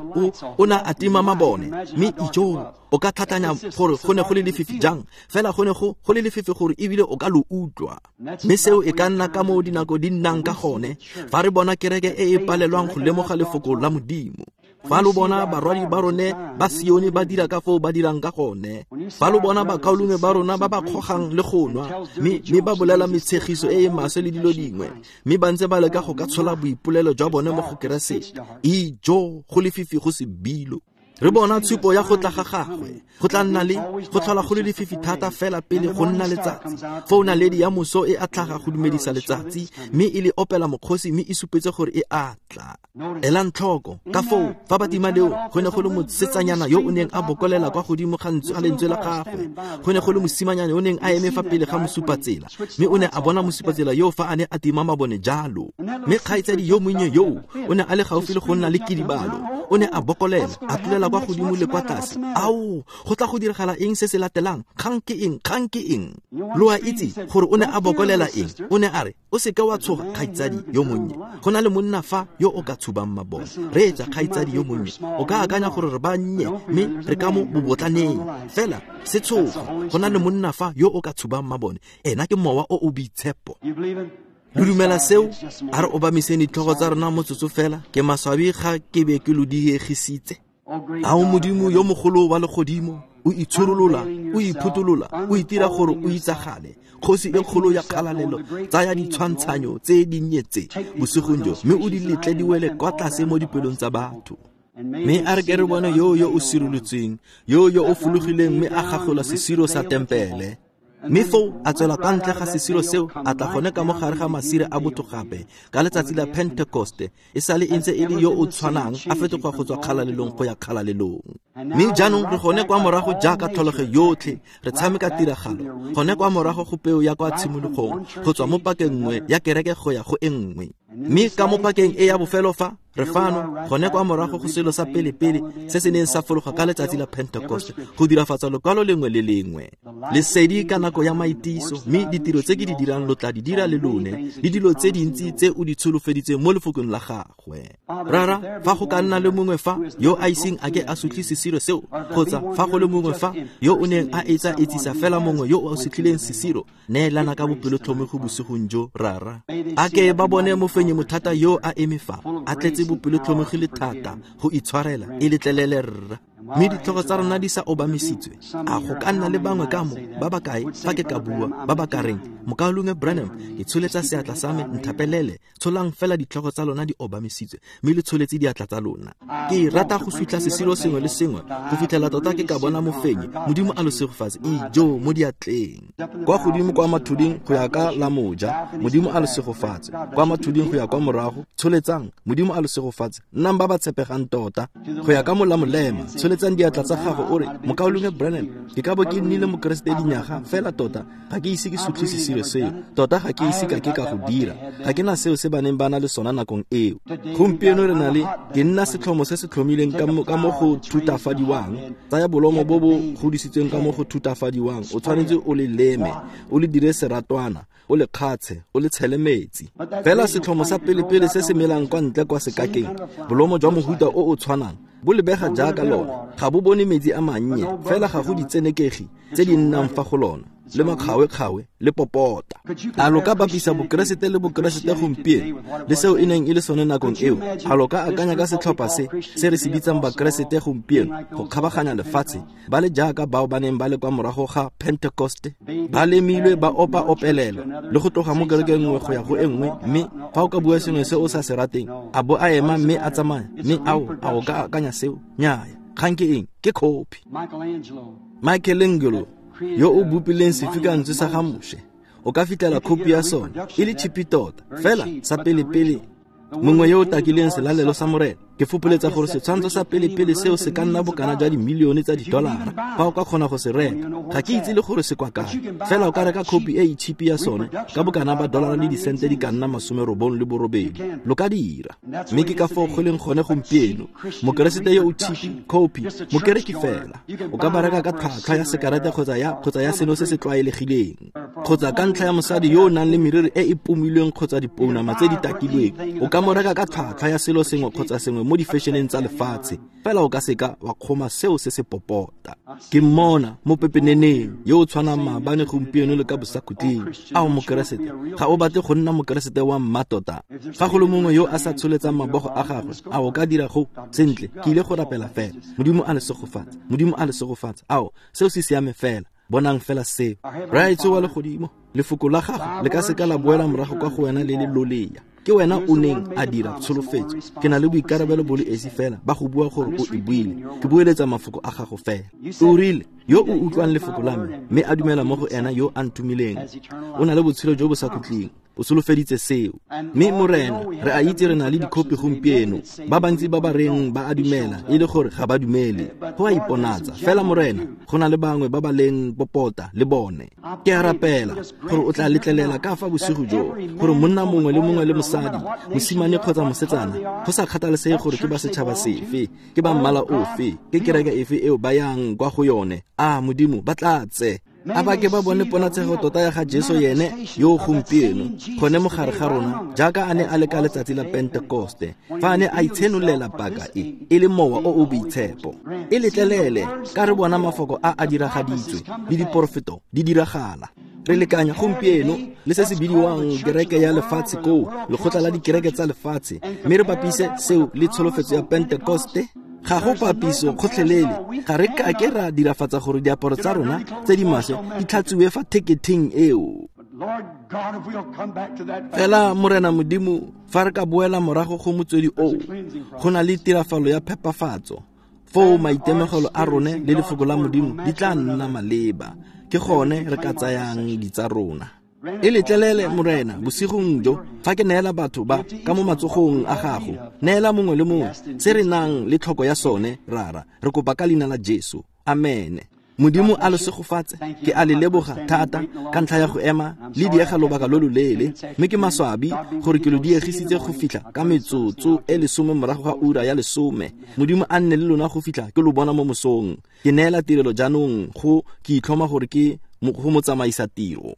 o ne a tima mabone, mme ijo, o ka tlhatlhanya gore go ne go le lefifi jang, fela go ne go le lefifi gore ebile o ka lo utlwa. Mme seo e ka nna ka moo dinako di nnang ka gone, fa re bona kereke e e palelwang go lemoga lefoko la Modimo. Fa lo bona barwadi ba rone ba Sione ba dira ka foo ba dirang ka gone, fa lo bona bakaulengwe ba rona ba ba kgogang le go nwa, mme ba bolela metshegiso e e maswe le dilo dingwe, mme ba ntse ba leka go ka tshola boipolelo jwa bone mo go Keresete, ijo, go lefifi go se bilo. Re bona tshupo ya go tla ga gagwe, go tla nna le go tlhola go le lefifi thata fela pele go nna letsatsi. Foo naledi ya moso e a tlhaga go dumedisa letsatsi, mme e le opela mokgosi, mme e supetse gore e a tla. Elang tlhoko ka foo fa ba tima leo, go ne go le mosetsanyana yo o neng a bokolela kwa godimo ga lentswe la gagwe. Go ne go le mosimanyana yo o neng a eme fa pele ga mosupatsela, mme o ne a bona mosupatsela yo fa a ne a tima mabone jalo. Mme kgaitsadi yo monnye yo o ne a le gaufi le go nna le kidibalo. O ne a bokolela, a tlolela kwa godimo le kwa tlase. Ao, go tla go diragala eng se se latelang? Kgang ke eng? Kgang ke eng? Lo a itse gore o ne a bokolela eng? O ne a re, o seka wa tshoga, kgaitsadi yo monnye. Go na le monna fa yo o ka tshubang mabone. Reetsa, kgaitsadi yo monnye. O ka akanya gore re ba nnye mme re ka mo bobotlaneng. Fela se tshoga, go na le monna fa yo o ka tshubang mabone. Ena ke Mowa o o Boitshepo. Lo dumela seo? A re obamiseng ditlhogo tsa rona motsotso fela. Ke maswabi ga ke be ke lo diegisitse. Ao Modimo yo mogolo wa legodimo, o itshorolola, o iphutolola, o itira gore o itsagale. Kgosi e kgolo ya kgalalelo, tsaya ditshwantshanyo tse dinnye tse bosigong jo, mme o di letle di wele kwa tlase mo dipelong tsa batho. Mme a re ke re bone yo yo o sirolotsweng, yo yo o fologileng mme a gagola sesiro sa tempele. Mme foo a tswela kwa ntle ga sesiro seo, a tla gone ka mo gare ga masire a botho gape ka letsatsi la Pentekoste, e sale e ntse e le yo o tshwanang, a fetoga go tswa kgalalelong go ya kgalalelong. Mme jaanong re gone kwa morago jaaka tlholego yotlhe, re tshameka tiragalo gone kwa morago go peo ya kwa tshimologong, go tswa mo pakeng nngwe ya kereke go ya go e nngwe. Mme ka mo pakeng e ya bofelo fa, re fano gone kwa morago go selo sa pele-pele se se neng sa fologa ka letsatsi la Pentecost, go dirafatsa lokwalo lengwe le lengwe. Lesedi ka nako ya maitiso, mme ditiro tse ke di dirang lo tla di dira le lone, le dilo tse dintsi tse o di tsholofeditseng mo lefokong la gagwe. Rara, fa go ka nna le mongwe fa yo a iseng a ke a sutlhe sesiro seo, kgotsa fa go le mongwe fa yo o neng a etsa etsisa fela mongwe yo o sutlhileng sesiro, neelana ka bopelotlhomogi bosigong jo, Rara. A ke ba bone mofenyi mothata yo a eme fa, a tletse bopelotlhomogi le thata go itshwarela, e letlelele, rra. Mme ditlhogo tsa rona di sa obamisitswe, a go ka nna le bangwe ka mo, ba ba kae, fa ke ka bua, ba ba ka reng, Mokaulengwe Branham, ke tsholetsa seatla sa me, nthapelele. Tsholang fela ditlhogo tsa lona di obamisitswe, mme le tsholetse diatla tsa lona. Ke rata go sutlha sesiro sengwe le sengwe go fitlhela tota ke ka bona mofenyi. Modimo a lo segofatse. Ijo mo diatleng. Kwa godimo kwa mathuding go ya ka la moja, Modimo a lo segofatse. Kwa mathuding go ya kwa morago, tsholetsang, Modimo a lo segofatse. Nnang ba ba tshepegang tota. Go ya ka mola molema, tsholetsang diatla tsa gago o re, Mokaulengwe Branham, ke ka bo ke nnile Mokeresete dinyaga fela tota ga ke ise ke sutlhe sesiro seo, tota ga ke ise ka ke ka go dira, ga ke na seo se ba neng ba na le sona nakong eo. Gompieno re na le, ke nna setlhomo se se tlhomileng ka mo go thutafadiwang. Tsaya bolomo bo bo godisitsweng ka mo go thutafadiwang, o tshwanetse o le leme, o le dire seratwana, o le kgatshe, o le tshele metsi. Fela setlhomo sa pele-pele se se melang kwa ntle kwa sekakeng, bolomo jwa mohuta o o tshwanang, bo lebega jaaka lona, ga bo bone metsi a mannye, fela ga go ditsenekegi tse di nnang fa go lona, le makgawe-kgawe le popota. A lo ka bapisa Bokeresete le Bokeresete gompieno le seo e neng e le sone nakong eo? A lo ka akanya ka setlhopha se se re se bitsang Bakeresete gompieno go kgabaganya lefatshe, ba le jaaka bao ba neng ba le kwa morago ga Pentecoste, ba lemilwe, ba opa opelelwa le go tloga mo kerekeng nngwe go ya go e nngwe, mme fa o ka bua sengwe se o sa se rateng, a bo a ema mme a tsamaya, mme ao, a o ka akanya seo? Nnyaya. Kgang ke eng? Ke copy. Michelangelo yo o bopileng sefikantswe sa ga Moshe, o ka fitlhela khopi ya sone e le chipi tota, fela sa pele-pele mongwe yo o takileng selalelo sa Morena. Ke fopoletsa gore setshwantsho sa pele-pele seo se ka nna bokana jwa dimilione tsa didolara fa o ka kgona go se reka. Ga ke itse le gore se kwa kae, fela o ka reka khopi e e chipi ya sone ka bokana ba dolara le disente di ka nna 98. Lo ka dira. Mme ke ka foo go leng gone gompieno. Mokeresete yo o chipi, khopi, mokereki fela, o ka ba reka ka tlhwatlhwa ya sekarete kgotsa ya seno se se tlwaelegileng, kgotsa ka ntlha ya mosadi yo o nang le meriri e e pomilweng kgotsa dipounama tse di takilweng, o ka mo reka ka tlhwatlhwa ya selo sengwe kgotsa sengwe mo difešeneng tsa lefatshe, fela o ka seka wa kgoma seo se se popota. Ke mmona mo pepeneneng yo o tshwanang maabane, gompieno le ka bosakhutleng. Ao Mokeresete, ga o batle go nna Mokeresete wa mmatota? Fa go le mongwe yo a sa tsholetsang mabogo a gagwe, a o ka dira go? Sentle, ke ile go rapela fela. Modimo a le segofatse. Modimo a le segofatse. Ao, seo se siame fela. Bonang fela seo. Rraetsho wa legodimo, lefoko la gago le ka seka la boela morago kwa go wena le le lolea. Ke wena o neng a dira tsholofetso. Ke na le boikarabelo bo le esi fela ba go bua gore o e buile. Ke boeletsa mafoko a gago fela. O rile, yo o utlwang lefoko la me mme a dumela mo go ena yo a ntumileng, o na le botshelo jo bo sa khutleng. O solofeditse seo. Mme Morena, re a itse re na le dikhopi gompieno, ba bantsi ba ba reng ba a dumela, e le gore ga ba dumele. Go a iponatsa. Fela Morena, go na le bangwe ba ba leng popota le bone. Ke a rapela gore o tla letlelela ka fa bosigo jo, gore monna mongwe le mongwe le mosadi, mosimane kgotsa mosetsana, go sa kgathalesege gore ke ba setšhaba sefe, ke ba mmala ofe, ke kereke efe eo ba yang kwa go yone, a Modimo ba tlatse. A ba ke ba bone ponatshego tota ya ga Jesu yene yo gompieno, gone mo gare ga rona, jaaka a ne a le ka letsatsi la Pentekoste, fa a ne a itshenolela paka e, e le Mowa o o Boitshepo. E letlelele ka re bona mafoko a a diragaditswe le diporofeto di diragala. Re lekanya gompieno le se se bidiwang kereke ya lefatshe koo, lekgotla la dikereke tsa lefatshe, mme re bapise seo le tsholofetso ya Pentekoste. Ga go papiso gotlhelele. Ga re kake ra dirafatsa gore diaparo tsa rona tse di maswe di tlhatsiwe fa theketheng eo. Fela Morena Modimo, fa re ka boela morago go motswedi oo, go na le tirafalo ya phepafatso, foo maitemogelo a rone le lefoko la Modimo di tla nna maleba. Ke gone re ka tsayang ditsa rona. E letlelele, Morena, bosigong jo, fa ke neela batho ba ka mo matsogong a gago, neela mongwe le mongwe se re nang le tlhoko ya sone, Rara. Re kopa ka leina la Jesu. Amene. Modimo a lo segofatse. Ke a le leboga thata ka ntlha ya go ema le diega lobaka lo loleele, mme ke maswabi gore ke lo diegisitse go fitlha ka metsotso e 10 morago ga ura ya 10. Modimo a nne le lona go fitlha ke lo bona mo mosong. Ke neela tirelo jaanong go ke itlhoma gore ke go motsamaisa tiro.